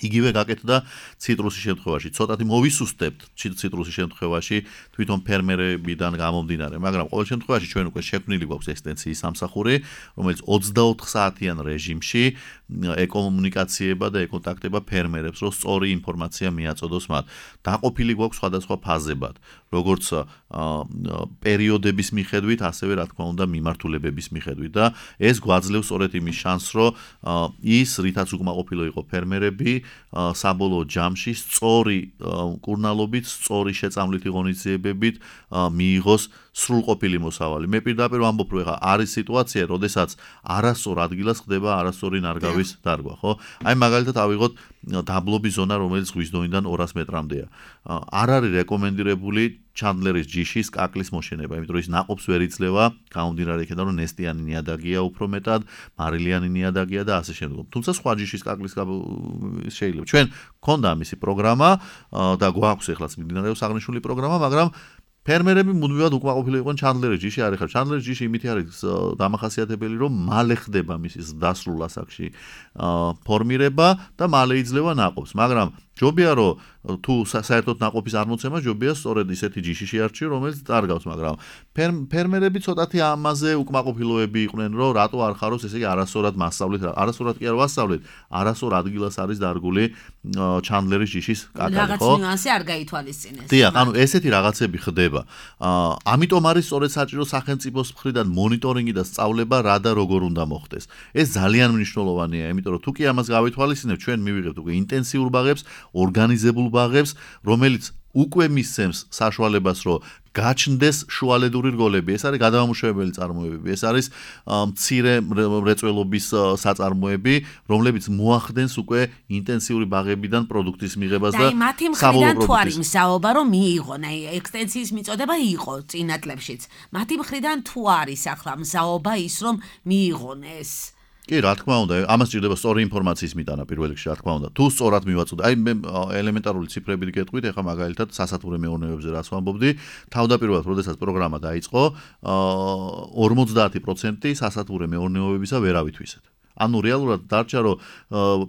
იგივე გაკეთდა ციტრუსის შემთხვევაში. ცოტათი მოვისუსტებთ ციტრუსის შემთხვევაში თვითონ ფერმერებიდან გამომდინარე, მაგრამ ყოველ შემთხვევაში ჩვენ უკვე შექმნილი გვაქვს ექსტენსიის სამსახური, რომელიც ოცდაოთხ საათიან რეჟიმში ეკომუნიკაციება და ეკონტაქტება ფერმერებს, რომ სწორი ინფორმაცია მიაწოდოს მათ. დაყოფილი გვაქვს სხვადასხვა ფაზებად, როგორც პერიოდების მიხედვით, ასევე რა თქმა უნდა მიმართულებების მიხედვით და ეს გვაძლევს სწორედ იმის შანსს, რომ ის რითაც უკმაყოფილო იყო ფერმერები საბოლოო ჯამში სწორი კურნალობით, სწორი შეწამლითი ღონისძიებებით მიიღოს სრულყოფილი მოსავალი. მე პირდაპირ ვამბობ, რომ ეხა არის სიტუაცია, როდესაც არასწორ ადგილას ხდება არასწორი ნარგავის დარგვა, ხო? აი მაგალითად ავიღოთ დაბლობის ზონა, რომელიც ზღვის დონიდან ორას მეტრამდეა. არ არის რეკომენდირებული ჩანდლერის ჯიშის კაკლის მოშენება, იმიტომ რომ ის ნაყოფს ვერ იძლევა, გამომდინარე იქიდან რომ ნესტიანი ნიადაგია უფრო მეტად, მარილიანი ნიადაგია და ასე შემდგომ. თუმცა სხვა ჯიშის კაკლის შეიძლება. ჩვენ გქონდა ამისი პროგრამა და გვაქვს ეხლაც მიმდინარეობს აღნიშნული პროგრამა, მაგრამ ფერმერები მუდმივად უკმაყოფილო იყვნენ ჩანდლერის ჯიში, არ ეხლა ჩანდლერის ჯიში იმითი არის დამახასიათებელი, რომ მალე ხდება მის დასრულ ასაკში ფორმირება და მალე იძლევა ნაყოფს, მაგრამ ჯობია რომ თუ საერთოდ ნაყოფის არ მოცემა ჯობია სწორედ ისეთი ჯიში შეარჩიო, რომელიც წარგავს, მაგრამ ფერმერები ცოტათი ამაზე უკმაყოფილოები იყვნენ, რომ რატო არ ხარობს, ესე იგი არასწორად მასწავლეთ, არასწორად კი არ ვასწავლეთ, არასწორ ადგილას არის დარგული ჩანდლერის ჯიშის კაკალი, ხო? რაღაც ნიუანსი არ გაითვალისწინეს. დიახ, ანუ ესეთი რაღაცები ხდება. ამიტომ არის სწორედ საჭირო სახელმწიფოს მხრიდან მონიტორინგი და სწავლება რა და როგორ უნდა მოხდეს. ეს ძალიან მნიშვნელოვანია, იმიტომ რომ თუ კი ამას გავითვალისწინებთ, ჩვენ მივიღებთ უკვე ინტენსიურ ბაღებს, ორგანიზებულ ბაღებს, რომელიც უკვე მისცემს საშუალებას, რომ გაჩნდეს შუალედური რგოლები. ეს არის გადამამუშავებელი წარმოებები, ეს არის მცირე მრეწველობის საწარმოები, რომლებიც მოახდენს უკვე ინტენსიური ბაღებიდან პროდუქტის მიღებას და საბოლოო მათი მხრიდან თუ არის მსაობა, რომ მიიღონ, აი ექსტენსიის მიწოდება იყო წინა წლებშიც. მათი მხრიდან თუ არის ახლა მსაობა ის, რომ მიიღონ ეს კი, რა თქმა უნდა, ამას ჭირდება სწორი ინფორმაციის მიტანა პირველ რიგში, რა თქმა უნდა. თუ სწორად მივაწოდე, აი მე ელემენტარული ციფრებით გეტყვით, ეხლა მაგალითად სასათბურე მეურნეობებზე რაც ვამბობდი, თავდაპირველად, როდესაც პროგრამა დაიწყო, ორმოცდაათი პროცენტი სასათბურე მეურნეობებისა ვერ ავითვისეთ. ანუ რეალურად დარჩა, რომ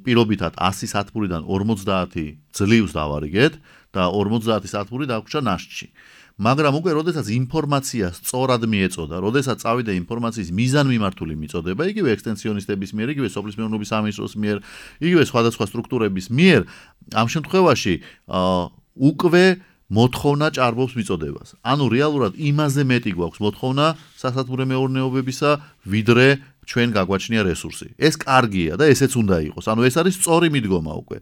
პირობითად ასი სათბურიდან ორმოცდაათი ძლივს დავარიგეთ და ორმოცდაათი სათბური დაგვრჩა ნაშთში. მაგრამ უკვე როდესაც ინფორმაცია სწორად მიეწოდა, როდესაც წავიდა ინფორმაციის მიზანმიმართული მიწოდება, იგივე ექსტენსიონისტების მიერ, იგივე სოფლის მეურნეობის სამინისტროს მიერ, იგივე სხვადასხვა სტრუქტურების მიერ, ამ შემთხვევაში უკვე მოთხოვნა ჭარბობს მიწოდებას. ანუ რეალურად იმაზე მეტი გვაქვს მოთხოვნა სასათბურე მეურნეობებისა, ვიდრე ჩვენ გაგვაჩნია რესურსი. ეს კარგია და ესეც უნდა იყოს. ანუ ეს არის სწორი მიდგომა უკვე.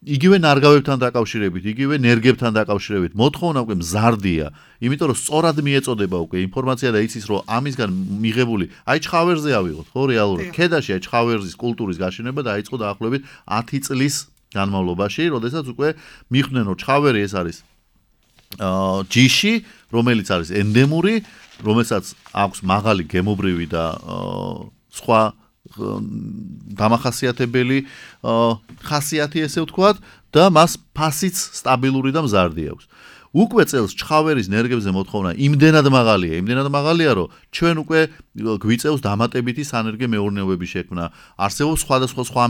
იგივე ნარგავებთან დაკავშირებით, იგივე ნერგებთან დაკავშირებით მოთხოვნა უკვე მზარდია, იმიტომ რომ სწორად მიეწოდება უკვე ინფორმაცია და იცის რომ ამისგან მიღებული, აი ჩხავერზე ავიღოთ, ხო რეალურად. ქედაში აი ჩხავერის კულტურის გაშენება დაიწყო დაახლოებით ათი წლის განმავლობაში, როდესაც უკვე მიხვდნენ რომ ჩხავერი ეს არის აა ჯიში, რომელიც არის ენდემური, რომელსაც აქვს მაღალი გემობრივი და სხვა დამახასიათებელი ხასიათი ესე ვთქვათ და მას ფასიც სტაბილური და მზარდი აქვს. უკვე წელს ჩხავერის ნერგებზე მოთხოვნა იმდენად მაღალია, იმდენად მაღალია, რომ ჩვენ უკვე გვიწევს დამატებითი სანერგე მეურნეობების შექმნა. არსებობს სხვადასხვა სხვა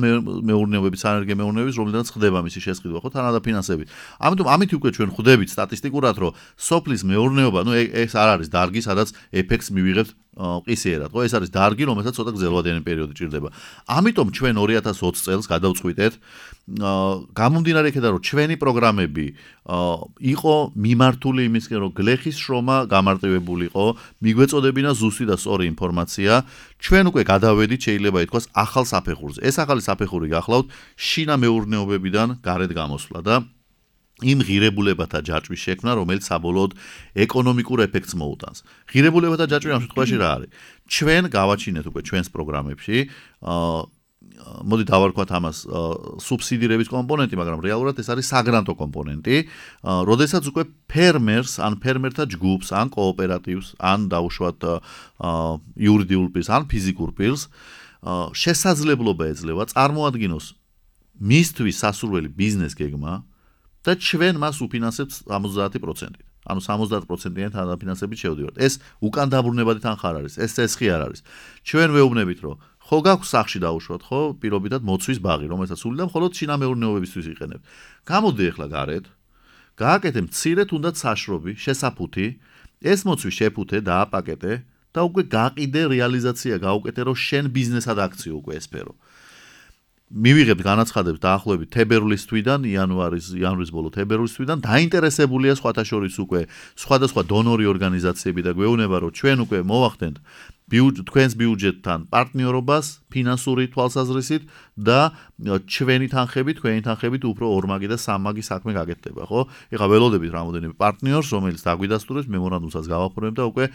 მეურნეობების, სანერგე მეურნეობების, რომლიდანაც ხდება მისი შესყიდვა, ხო, თანადაფინანსებით. ამიტომ ამით უკვე ჩვენ ხვდებით სტატისტიკურად, რომ სოფლის მეურნეობა, ну ეს არ არის დარგი, სადაც ეფექტს მივიღებთ ყისიერად, ხო, ეს არის დარგი, რომელსაც ცოტა გრძელვადიანი პერიოდი ჭირდება. ამიტომ ჩვენ ორი ათას ოცი წელს გადავწყვიტეთ, გამომდინარე იქიდან, რომ ჩვენი პროგრამები იყო მიმართული იმისკენ, რომ გლეხის შრომა გამარტივებულიყო, მიგვეწოდებინა ზუსტი და სწორი ინფორმაცია, ჩვენ უკვე გადავედით, შეიძლება ითქვას, ახალ საფეხურზე. ეს ახალი საფეხური გახლავთ შინა მეურნეობებიდან გარეთ გამოსვლა და იმ ღირებულებათა ჯაჭვის შექმნა, რომელიც საბოლოოდ ეკონომიკურ ეფექტს მოუტანს. ღირებულებათა ჯაჭვი ამ შემთხვევაში რა არის? ჩვენ გავაჩინეთ უკვე ჩვენს პროგრამებში, მოდი დავარქვათ ამას სუბსიდირების კომპონენტი, მაგრამ რეალურად ეს არის საგრანტო კომპონენტი, როდესაც უკვე ფერმერს, ან ფერმერთა ჯგუფს, ან კოოპერატივს, ან დაუშვათ იურიდიულ პირს, ან ფიზიკურ პირს შესაძლებლობა ეძლევა წარმოადგინოს მისთვის სასურველი ბიზნეს გეგმა და ჩვენ მას უფინანსებთ სამოცდაათი პროცენტით. ანუ სამოცდაათი პროცენტიანი თანაფინანსებით შევდივართ. ეს უკან დაბრუნებადი თანხა არ არის, ეს წესხი არ არის. ჩვენ ვეუბნებით, რომ ხო გაქვს სახში დაუშვათ, ხო, პირობითად მოცვის ბაღი, რომელსაც სულ და მხოლოდ შინამეურნეობებისთვის იყენებთ. გამოდი ახლა გარეთ, გააკეთე მცირე თუნდაც საშრობი, შესაფუთი, ეს მოცვი შეფუთე, დააპაკეტე და უკვე გაყიდე რეალიზაცია, გაუკეთე, რომ შენ ბიზნესად აქციო უკვე ესფერო. მივიღებთ განაცხადებს დაახლოებით თებერვლის თვიდან, იანვარის, იანვრის ბოლო თებერვლის თვიდან დაინტერესებულია სხვათა შორის უკვე სხვადასხვა დონორი ორგანიზაციები და გვეუბნება, რომ ჩვენ უკვე მოვახდენთ თქვენს ბიუჯეტთან პარტნიორობას ფინანსური თვალსაზრისით და ჩვენი თანხებით, თქვენი თანხებით უფრო ორმაგი და სამმაგი საქმე გაკეთდება, ხო? ეხლა ველოდებით რამოდენიმე პარტნიორს, რომელიც დაგვიდასტურებს, მემორანდუმსაც გავაფორმებ და უკვე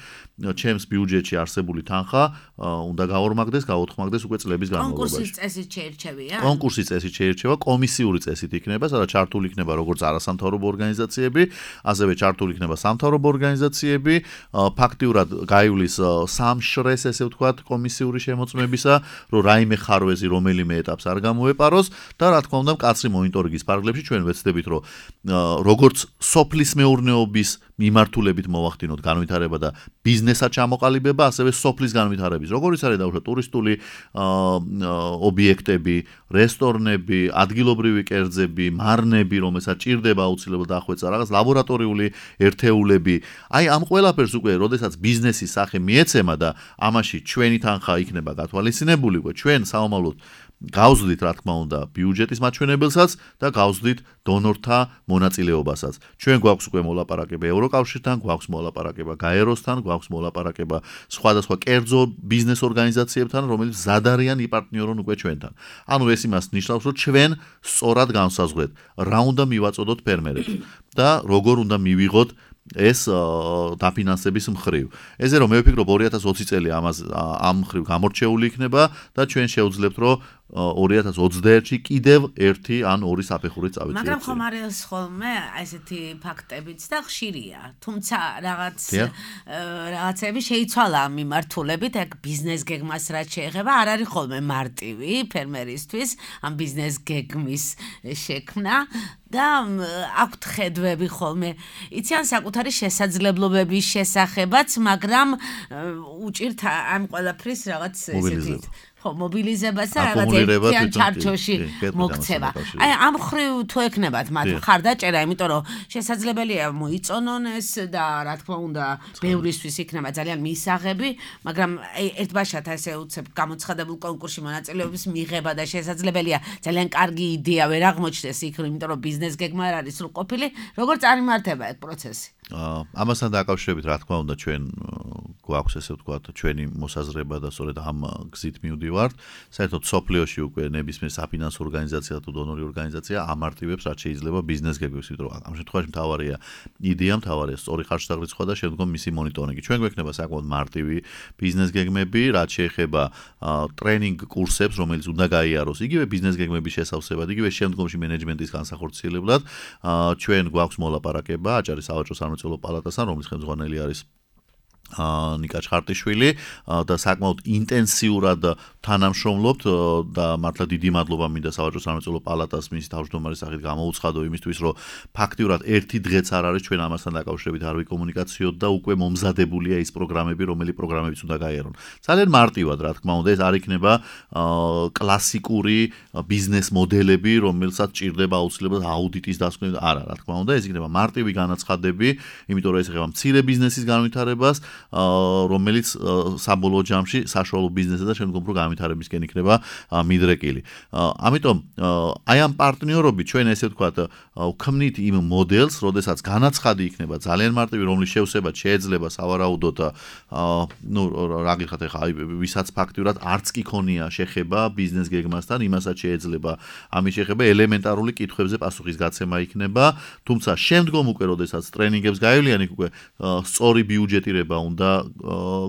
ჩემს ბიუჯეტში არსებული თანხა უნდა გაორმაგდეს, გაოთხმაგდეს უკვე წლების განმავლობაში. კონკურსის წესით შეირჩევია? კონკურსის წესით შეირჩევა, კომისიური წესით იქნება, სადაც ჩართული იქნება როგორც არასამთავრობო ორგანიზაციები, ასევე ჩართული იქნება სამთავრობო ორგანიზაციები, ფაქტიურად გაივლის სამშრეს, ესე ვთქვათ, კომისიური შემოწმებისა, რომ რაიმე ხარვეზი რომელიმე ეტაპს არ გამოეპაროს და რა თქმა უნდა, მკაცრი მონიტორინგის ფარგლებში ჩვენ ვეცდებით, რომ როგორც სოფლის მეურნეობის მიმართულებით მოვახდინოთ განვითარება და ბიზნესად ჩამოყალიბება, ასევე სოფლის განვითარების, როგორც არის დაუშვათ ტურისტული ობიექტები, რესტორნები, ადგილობრივი კერძები, მარნები, რომელსაც ჭირდება აუცილებლად დახვეწა რაღაც ლაბორატორიული ერთეულები. აი ამ ყველაფერს უკვე, როდესაც ბიზნესის სახე მიეცემა და ამაში ჩვენი თანხა იქნება გათვალისწინებული, უკვე ჩვენ საომავლოდ გავზდით, რა თქმა უნდა, ბიუჯეტის მაჩვენებელსაც და გავზდით დონორთა მონაწილეობასაც. ჩვენ გვაქვს უკვე მოლაპარაკება ევროკავშირთან, გვაქვს მოლაპარაკება გაეროსთან, გვაქვს მოლაპარაკება სხვადასხვა კერძო ბიზნეს ორგანიზაციებთან, რომელიც მზად არიან იპარტნიორონ უკვე ჩვენთან. ანუ ეს იმას ნიშნავს, რომ ჩვენ სწორად განსაზღვრეთ, რა უნდა მივაწოდოთ ფერმერებს და როგორ უნდა მივიღოთ ეს დაფინანსების მხრივ. ესე რომ მე ვფიქრობ ორი ათას ოცი წელი ამას ამ მხრივ გამორჩეული იქნება და ჩვენ შევძლებთ, რომ ორი ათას ოცდაერთში კიდევ ერთი ან ორი საფეხურით წავიწიეთ. მაგრამ ხომ არის ხოლმე ესეთი ფაქტებიც და ხშირია. თუმცა რაღაც რაღაცები შეიცვალა ამ მიმართულებით, ეგ ბიზნეს გეგმას რაც შეეხება, არ არის ხოლმე მარტივი ფერმერისთვის ამ ბიზნეს გეგმის შექმნა და აქვთ ხედვები ხოლმე. იცი ან საკუთარი შესაძლებლობების შესახებაც, მაგრამ უჭირთ ამ ყველაფრის რაღაც ესეთი ხო მობილიზებას და რაღაც ერთიან ჩარჩოში მოქცევა. აი ამ ხრივ თუ ეკნებათ მათ ხარდაჭერა, იმიტომ რომ შესაძლებელია მოიწონონ ეს და რა თქმა უნდა ბევრისთვის იქნება ძალიან მისაღები, მაგრამ ერთბაშად ესე უცებ გამოცხადებულ კონკურსში მონაწილეობის მიღება და შესაძლებელია ძალიან კარგი იდეა ვერ აღმოჩნდეს იქ, იმიტომ რომ ბიზნეს გეგმა არ არის სრულყოფილი, როგორ წარიმართება ეს პროცესი? ამასთან დაკავშირებით, რა თქმა უნდა, ჩვენ გვაქვს ესე ვთქვათ, ჩვენი მოსაზრება და სწორედ ამ გზით მივდივართ. საერთოდ სოფლიოში უკვე ნებისმიერ საფინანსო ორგანიზაცია თუ დონორი ორგანიზაცია ამარტივებს, რაც შეიძლება ბიზნეს გეგმებს, იმიტომ რომ ამ შემთხვევაში მთავარია იდეა, მთავარია სწორი ხარჯთაღრიცხვა და შემდგომ მისი მონიტორინგი. ჩვენ გვექნება საკმაოდ მარტივი ბიზნეს გეგმები, რაც შეეხება ტრენინგ კურსებს, რომელიც უნდა გაიაროს იგივე ბიზნეს გეგმების შესავსებად, იგივე შემდგომში მენეჯმენტის განსახორციელებლად. ჩვენ გვაქვს მოლაპარაკება აჭარის სავაჭრო სამრეწველო პალატასთან, რომლის ხელმძღვანელი არის ნიკა ჩხარტიშვილი და საკმაოდ ინტენსიურად თანამშრომლობთ და მართლა დიდი მადლობა მინდა სავაჭრო სამრეწველო პალატას მის თავმჯდომარის სახით გამოუცხადო იმისთვის, რომ ფაქტიურად ერთი დღეც არ არის ჩვენ ამასთან დაკავშირებით არ ვიკომუნიკაციოთ და უკვე მომზადებულია ის პროგრამები, რომელი პროგრამებიც უნდა გაიარონ. ძალიან მარტივად, რა თქმა უნდა, ეს არ იქნება კლასიკური ბიზნეს მოდელები, რომელსაც ჭირდება აუცილებლად აუდიტის დასკვნა. არა, რა თქმა უნდა, ეს იქნება მარტივი განაცხადები, იმიტომ რომ ეს ეხება მცირე ბიზნესის განვითარებას, რომელიც საბოლოო ჯამში საშუალო ბიზნესსა და შემდგომ რო განვითარებისკენ იქნება მიდრეკილი. ამიტომ აი ამ პარტნიორობით ჩვენ ესე ვთქვათ, ვქმნით იმ მოდელს, როდესაც განაცხადი იქნება ძალიან მარტივი, რომლის შევსება შეიძლება სავარაუდოდ, ну, რა გიხათ ახლა, ვისაც ფაქტიურად არც კი ქონია შეხება ბიზნეს გეგმასთან, იმასაც შეიძლება ამის შეხება ელემენტარული კითხვებზე პასუხის გაცემა იქნება, თუმცა შემდგომ უკვე როდესაც ტრენინგებს გაივლიან, იქ უკვე სწორი ბიუჯეტირება უნდა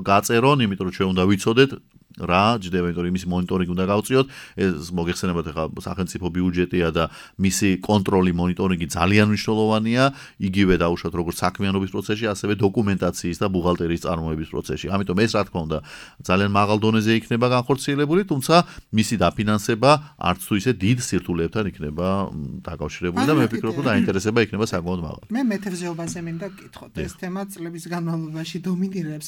გაწერონ, იმიტომ რომ ჩვენ უნდა ვიცოდეთ რა ჯდება, იმიტომ რომ იმის მონიტორინგი უნდა გავწიოთ. ეს მოგეხსენებათ ახლა სახელმწიფო ბიუჯეტია და მისი კონტროლი, მონიტორინგი ძალიან მნიშვნელოვანია, იგივე დაუშვათ როგორც საქმიანობის პროცესში, ასევე დოკუმენტაციის და ბუღალტერიის წარმოების პროცესში. ამიტომ ეს რა თქმა უნდა ძალიან მაღალ დონეზე იქნება განხორციელებული, თუმცა მისი დაფინანსება არც თუ ისე დიდ სირთულეებთან იქნება დაკავშირებული და მე ვფიქრობ, რომ დაინტერესება იქნება საკმაოდ მაღალი. მე მეთევზეობაზე მინდა გკითხოთ. ეს თემა წლების განმავლობაში დომინირებს.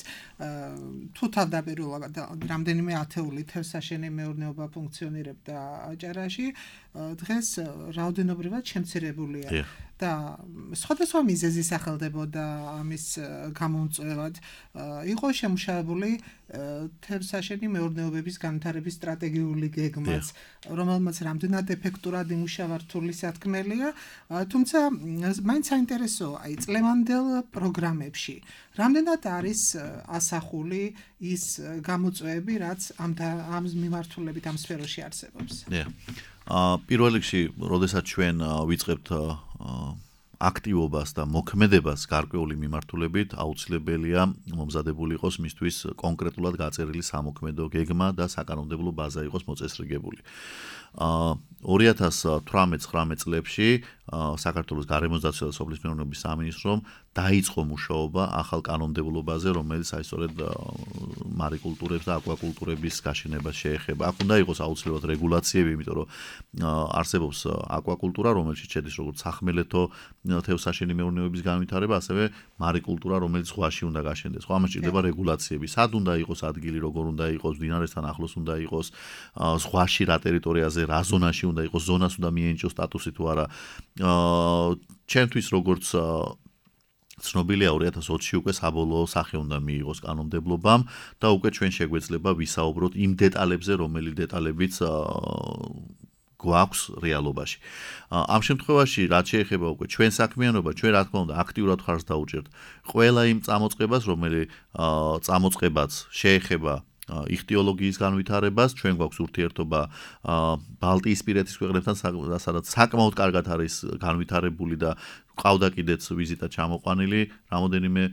თუ თავდაპირველად რამდენი მე ათეული თევზსაშენი მეურნეობა ფუნქციონირებდა აჭარაში, დღეს რაოდენობრივად შემცირებულია და სხვადასხვა მიზეზი სახელდებოდა ამის გამომწვევად. იყო შემუშავებული თევზსაშენი მეურნეობების განვითარების სტრატეგიული გეგმაც, რომელმაც რამდენად ეფექტურად იმუშავა რთული სათქმელია, თუმცა მაინც საინტერესოა, აი წლევანდელ პროგრამებში რამდენად არის ასახული ის გამოწვევები, რაც ამ ამ მიმართულებით ამ სფეროში არსებობს. პირველ რიგში, როდესაც ჩვენ ვიწყებთ აქტივობას და მოქმედებას გარკვეული მიმართულებით, აუცილებელია მომზადებული იყოს მისთვის კონკრეტულად გაწერილი სამოქმედო გეგმა და საკანონმდებლო ბაზა იყოს მოწესრიგებული. ორი ათას თვრამეტ ცხრამეტ წლებში საქართველოს გარემოსდაცვა და სოფლის მეურნეობის სამინისტრომ დაიწყო მუშაობა ახალ კანონმდებლობაზე, რომელიც აი სწორედ მარიკულტურებს და აკვაკულტურების გაშენებას შეეხება. აქ უნდა იყოს აუცილებლად რეგულაციები, იმიტომ რომ არსებობს აკვაკულტურა, რომელშიც შედის როგორც სახმელეთო თევზსაშენი მეურნეობის განვითარება, ასევე მარიკულტურა, რომელიც ზღვაში უნდა გაშენდეს. ხო, ამას ჭირდება რეგულაციები. სად უნდა იყოს ადგილი, როგორ უნდა იყოს, მდინარესთან ახლოს უნდა იყოს, ზღვაში რა ტერიტორიაზე, რა ზონაში უნდა იყოს, ზონას უნდა მიენიჭოს სტატუსი თუ არა. ჩემთვის როგორც ცნობილია ორი ათას ოცი უკვე საბოლოო სახე უნდა მიიღოს კანონმდებლობამ და უკვე ჩვენ შეგვეძლება ვისაუბროთ იმ დეტალებზე, რომელი დეტალებიც გვაქვს რეალობაში. ამ შემთხვევაში რაც შეეხება უკვე ჩვენ საქმიანობა, ჩვენ რა თქმა უნდა აქტიურად ხარს დაუჭერთ ყველა იმ წამოწყებას, რომელი წამოწყებაც შეეხება იხტიოლოგიის განვითარებას, ჩვენ გვაქვს ურთიერთობა ბალტიისპირეთის ქვეყნებთან, სადაც საკმაოდ კარგად არის განვითარებული და ყავდა კიდეც ვიზიტა ჩამოყვანილი რამოდენიმე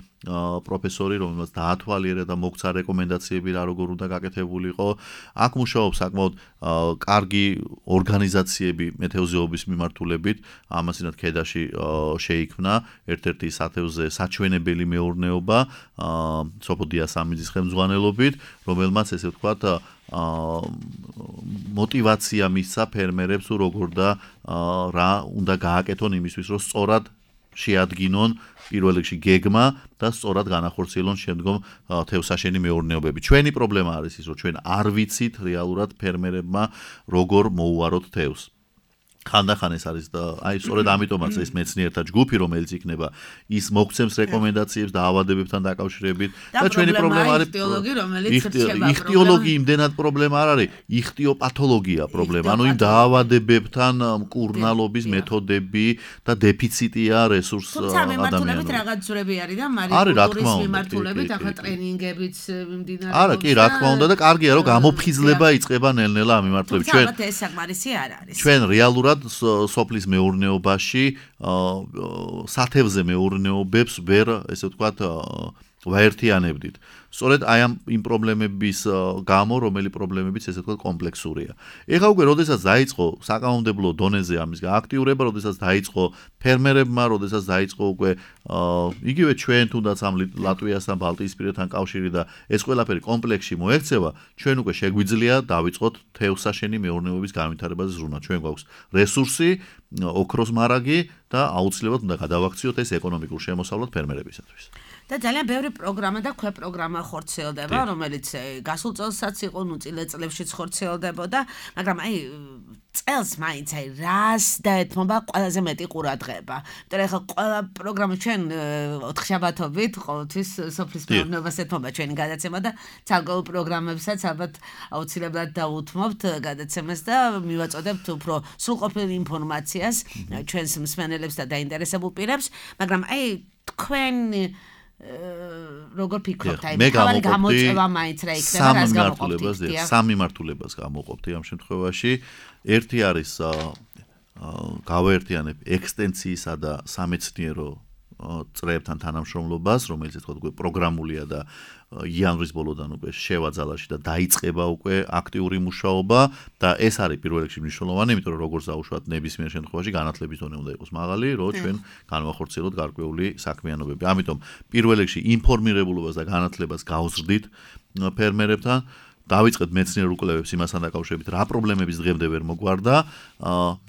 პროფესორი, რომელმაც დაათვალიერა და მოგცა რეკომენდაციები რა როგორ უნდა გაკეთებულიყო. აქ მუშაობს საკმაოდ კარგი ორგანიზაციები მეთევზეობის მიმართულებით, ამასინად ქედაში შეიქმნა ერთ-ერთი სათევზე საჩვენებელი მეურნეობა სოფო დიასამიძის ხელმძღვანელობით, რომელმაც ესე ვთქვათ მოტივაცია მისცა ფერმერებს თუ როგორ და რა უნდა გააკეთონ იმისთვის, რომ სწორად შეადგინონ პირველ რიგში გეგმა და სწორად განახორციელონ შემდგომ თევზსაშენი მეურნეობები. ჩვენი პრობლემა არის ის, რომ ჩვენ არ ვიცით რეალურად ფერმერებმა როგორ მოუაროთ თევზს. ხანდახან ეს არის და აი სწორედ ამიტომაც ეს მეცნიერთა ჯგუფი, რომელიც იქნება, ის მოგცემს რეკომენდაციებს დაავადებებთან დაკავშირებით და ჩვენი პრობლემა არის იხტიოლოგი, რომელიც რჩება. იხტიოლოგი იმდენად პრობლემა არ არის, იხტიოპათოლოგია პრობლემა, ანუ იმ დაავადებებთან მკურნალობის მეთოდები და დეფიციტია რესურს ადამიანური. თუმცა მიმართულებით რაღაც ძვრები არის და მარიკულტურის მიმართულებით ახლა ტრენინგებიც მიმდინარეობს. არა, კი, რა თქმა უნდა და კარგია, რომ გამოფხიზლება იწყება ნელ-ნელა ამ მიმართულებით. ჩვენ ეს საკმარისი არ არის. ჩვენ რეალურად სოფლის მეურნეობაში სათევზე მეურნეობებს ვერ, ესე ვთქვათ, ვაერთიანებდით. სწორედ აი ამ იმ პრობლემების გამო, რომელი პრობლემებიც ესე ვთქვათ კომპლექსურია. ეხლა უკვე როდესაც დაიწყო საკანონმდებლო დონეზე ამის აქტიურება, როდესაც დაიწყო ფერმერებმა, როდესაც დაიწყო უკვე იგივე ჩვენ თუნდაც ამ ლატვიასთან, ბალტიისპირეთთან კავშირი და ეს ყველაფერი კომპლექსში მოექცევა, ჩვენ უკვე შეგვიძლია დავიწყოთ თევზსაშენი მეურნეობის განვითარებაზე ზრუნა. ჩვენ გვაქვს რესურსი, ოქროს მარაგი და აუცილებლად უნდა გადავაქციოთ ეს ეკონომიკურ შემოსავლად ფერმერებისათვის. და ძალიან ბევრი პროგრამა და ქვეპროგრამა ხორციელდება, რომელიც გასულ წელსაც იყო, ნუ წლებში ხორციელდებოდა, მაგრამ აი წელს მაინც აი რას დაეთმობა ყველაზე მეტი ყურადღება. იმიტომ რომ ახლა ყველა პროგრამა ჩვენ ოთხშაბათობით ყოველთვის სოფლის მეურნეობას ეთმობა ჩვენი გადაცემა და ცალკეულ პროგრამებსაც ალბათ აუცილებლად დავუთმობთ გადაცემას და მივაწოდებთ უფრო სრულყოფილ ინფორმაციას ჩვენს მსმენელებს და დაინტერესებულ პირებს, მაგრამ აი თქვენ როგორ ფიქრობთ, აი თავი გამოწვევა მაინც რა იქნება, რას გამოყოფთ? სამი მართულებას გამოყოფთ ამ შემთხვევაში. ერთი არის გავაერთიანებ ექსტენციისა და სამეცნიერო წრეებთან თანამშრომლობას, რომელიც თქო უკვე პროგრამულია და იანვრის ბოლოდან უკვე შევაძალაში და დაიწყება უკვე აქტიური მუშაობა და ეს არის პირველ რიგში მნიშვნელოვანი, იმიტომ რომ როგორც დაუშვათ ნებისმიერ შემთხვევაში განათლების დონე უნდა იყოს მაღალი, რომ ჩვენ განვახორციელოთ გარკვეული საქმიანობები. ამიტომ პირველ რიგში ინფორმირებულობას და განათლებას გავზრდით ფერმერებთან. დავიწყეთ მეცნიერ უკვლევებს იმასთან დაკავშირებით, რა პრობლემების დღემდე ვერ მოგვარდა.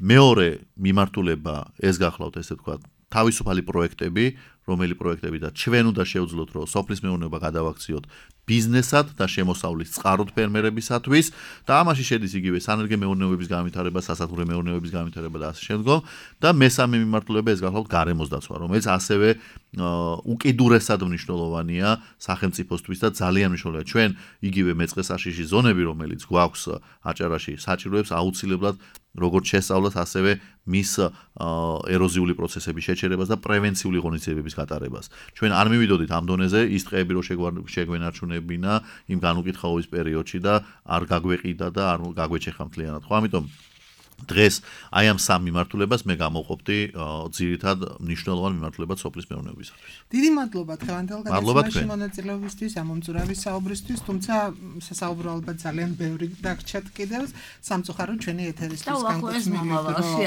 მეორე მიმართულება ეს გახლავთ, ესე ვთქვათ, თავისუფალი პროექტები, რომელი პროექტებიდან ჩვენ უნდა შევძლოთ, რომ სოფლის მეურნეობა გადავაქციოთ ბიზნესად და შემოსავლის წყაროდ ფერმერებისათვის და ამაში შედის იგივე სანერგე მეურნეობების განვითარება, სასათბურე მეურნეობების განვითარება და ასე შემდგომ და მესამე მიმართულება ეს გახლავთ გარემოს დაცვა, რომელიც ასევე უკიდურესად მნიშვნელოვანია სახელმწიფოსთვის და ძალიან მნიშვნელოვანია. ჩვენ იგივე მეწყესაშიში ზონები, რომელიც გვაქვს აჭარაში, საჭიროებს აუცილებლად როგორც შესწავლას, ასევე მის ეროზიული პროცესების შეჩერებას და პრევენციული ღონისძიებების გატარებას. ჩვენ არ მივიდოდით ამ დონეზე ის ტყეები რო შეგვენარჩუნებინა იმ განუკითხაობის პერიოდში და არ გაგვეყიდა და არ გაგვეჩეხა მთლიანად. ხო, ამიტომ დღეს აი ამ სამ მიმართულებას მე გამოვყოფდი ძირითად მნიშვნელოვან მიმართულებად სოფლის მეურნეობისათვის. დიდი მადლობა დღევანდელ გადაცემაში მონაწილეობისთვის, ამომწურავი საუბრისთვის, თუმცა სასაუბრო ალბათ ძალიან ბევრი დაგრჩათ კიდევ სამწუხარო ჩვენი ეთერისთვის განკუთვნილ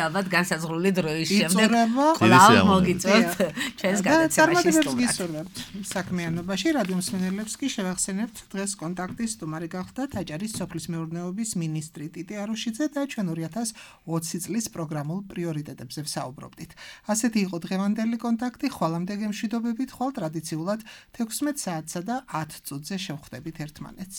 ალბათ განსაზღვრული დროის შემდეგ კვლავ მოგიწევთ ჩვენს გადაცემაში სტუმრად. საქმიანობაში რადიო მსმენელებს კი შევახსენებთ დღეს კონტაქტის სტუმარი გახლდათ აჭარის სოფლის მეურნეობის მინისტრი ტიტი აროშიძე და ჩვენ ორი ათას ოცი წლის პროგრამულ პრიორიტეტებზე ვსაუბრობდით. ასეთი იყო დღევანდელი კონტაქტი, ხვალამდე გემშვიდობებით, ხვალ ტრადიციულად თექვსმეტ საათსა და ათ წუთზე შევხვდებით ერთმანეთს.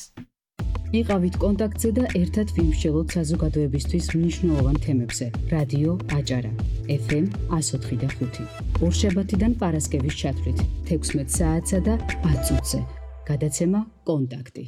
იყავით კონტაქტზე და ერთად ვიმსჯელოთ საზოგადოებისთვის მნიშვნელოვან თემებზე. რადიო აჭარა ეფ ემ εκατო ოთხი და ხუთი. ორშაბათიდან პარასკევის ჩათვლით თექვსმეტ საათსა და ათ წუთზე. გადაცემა კონტაქტი.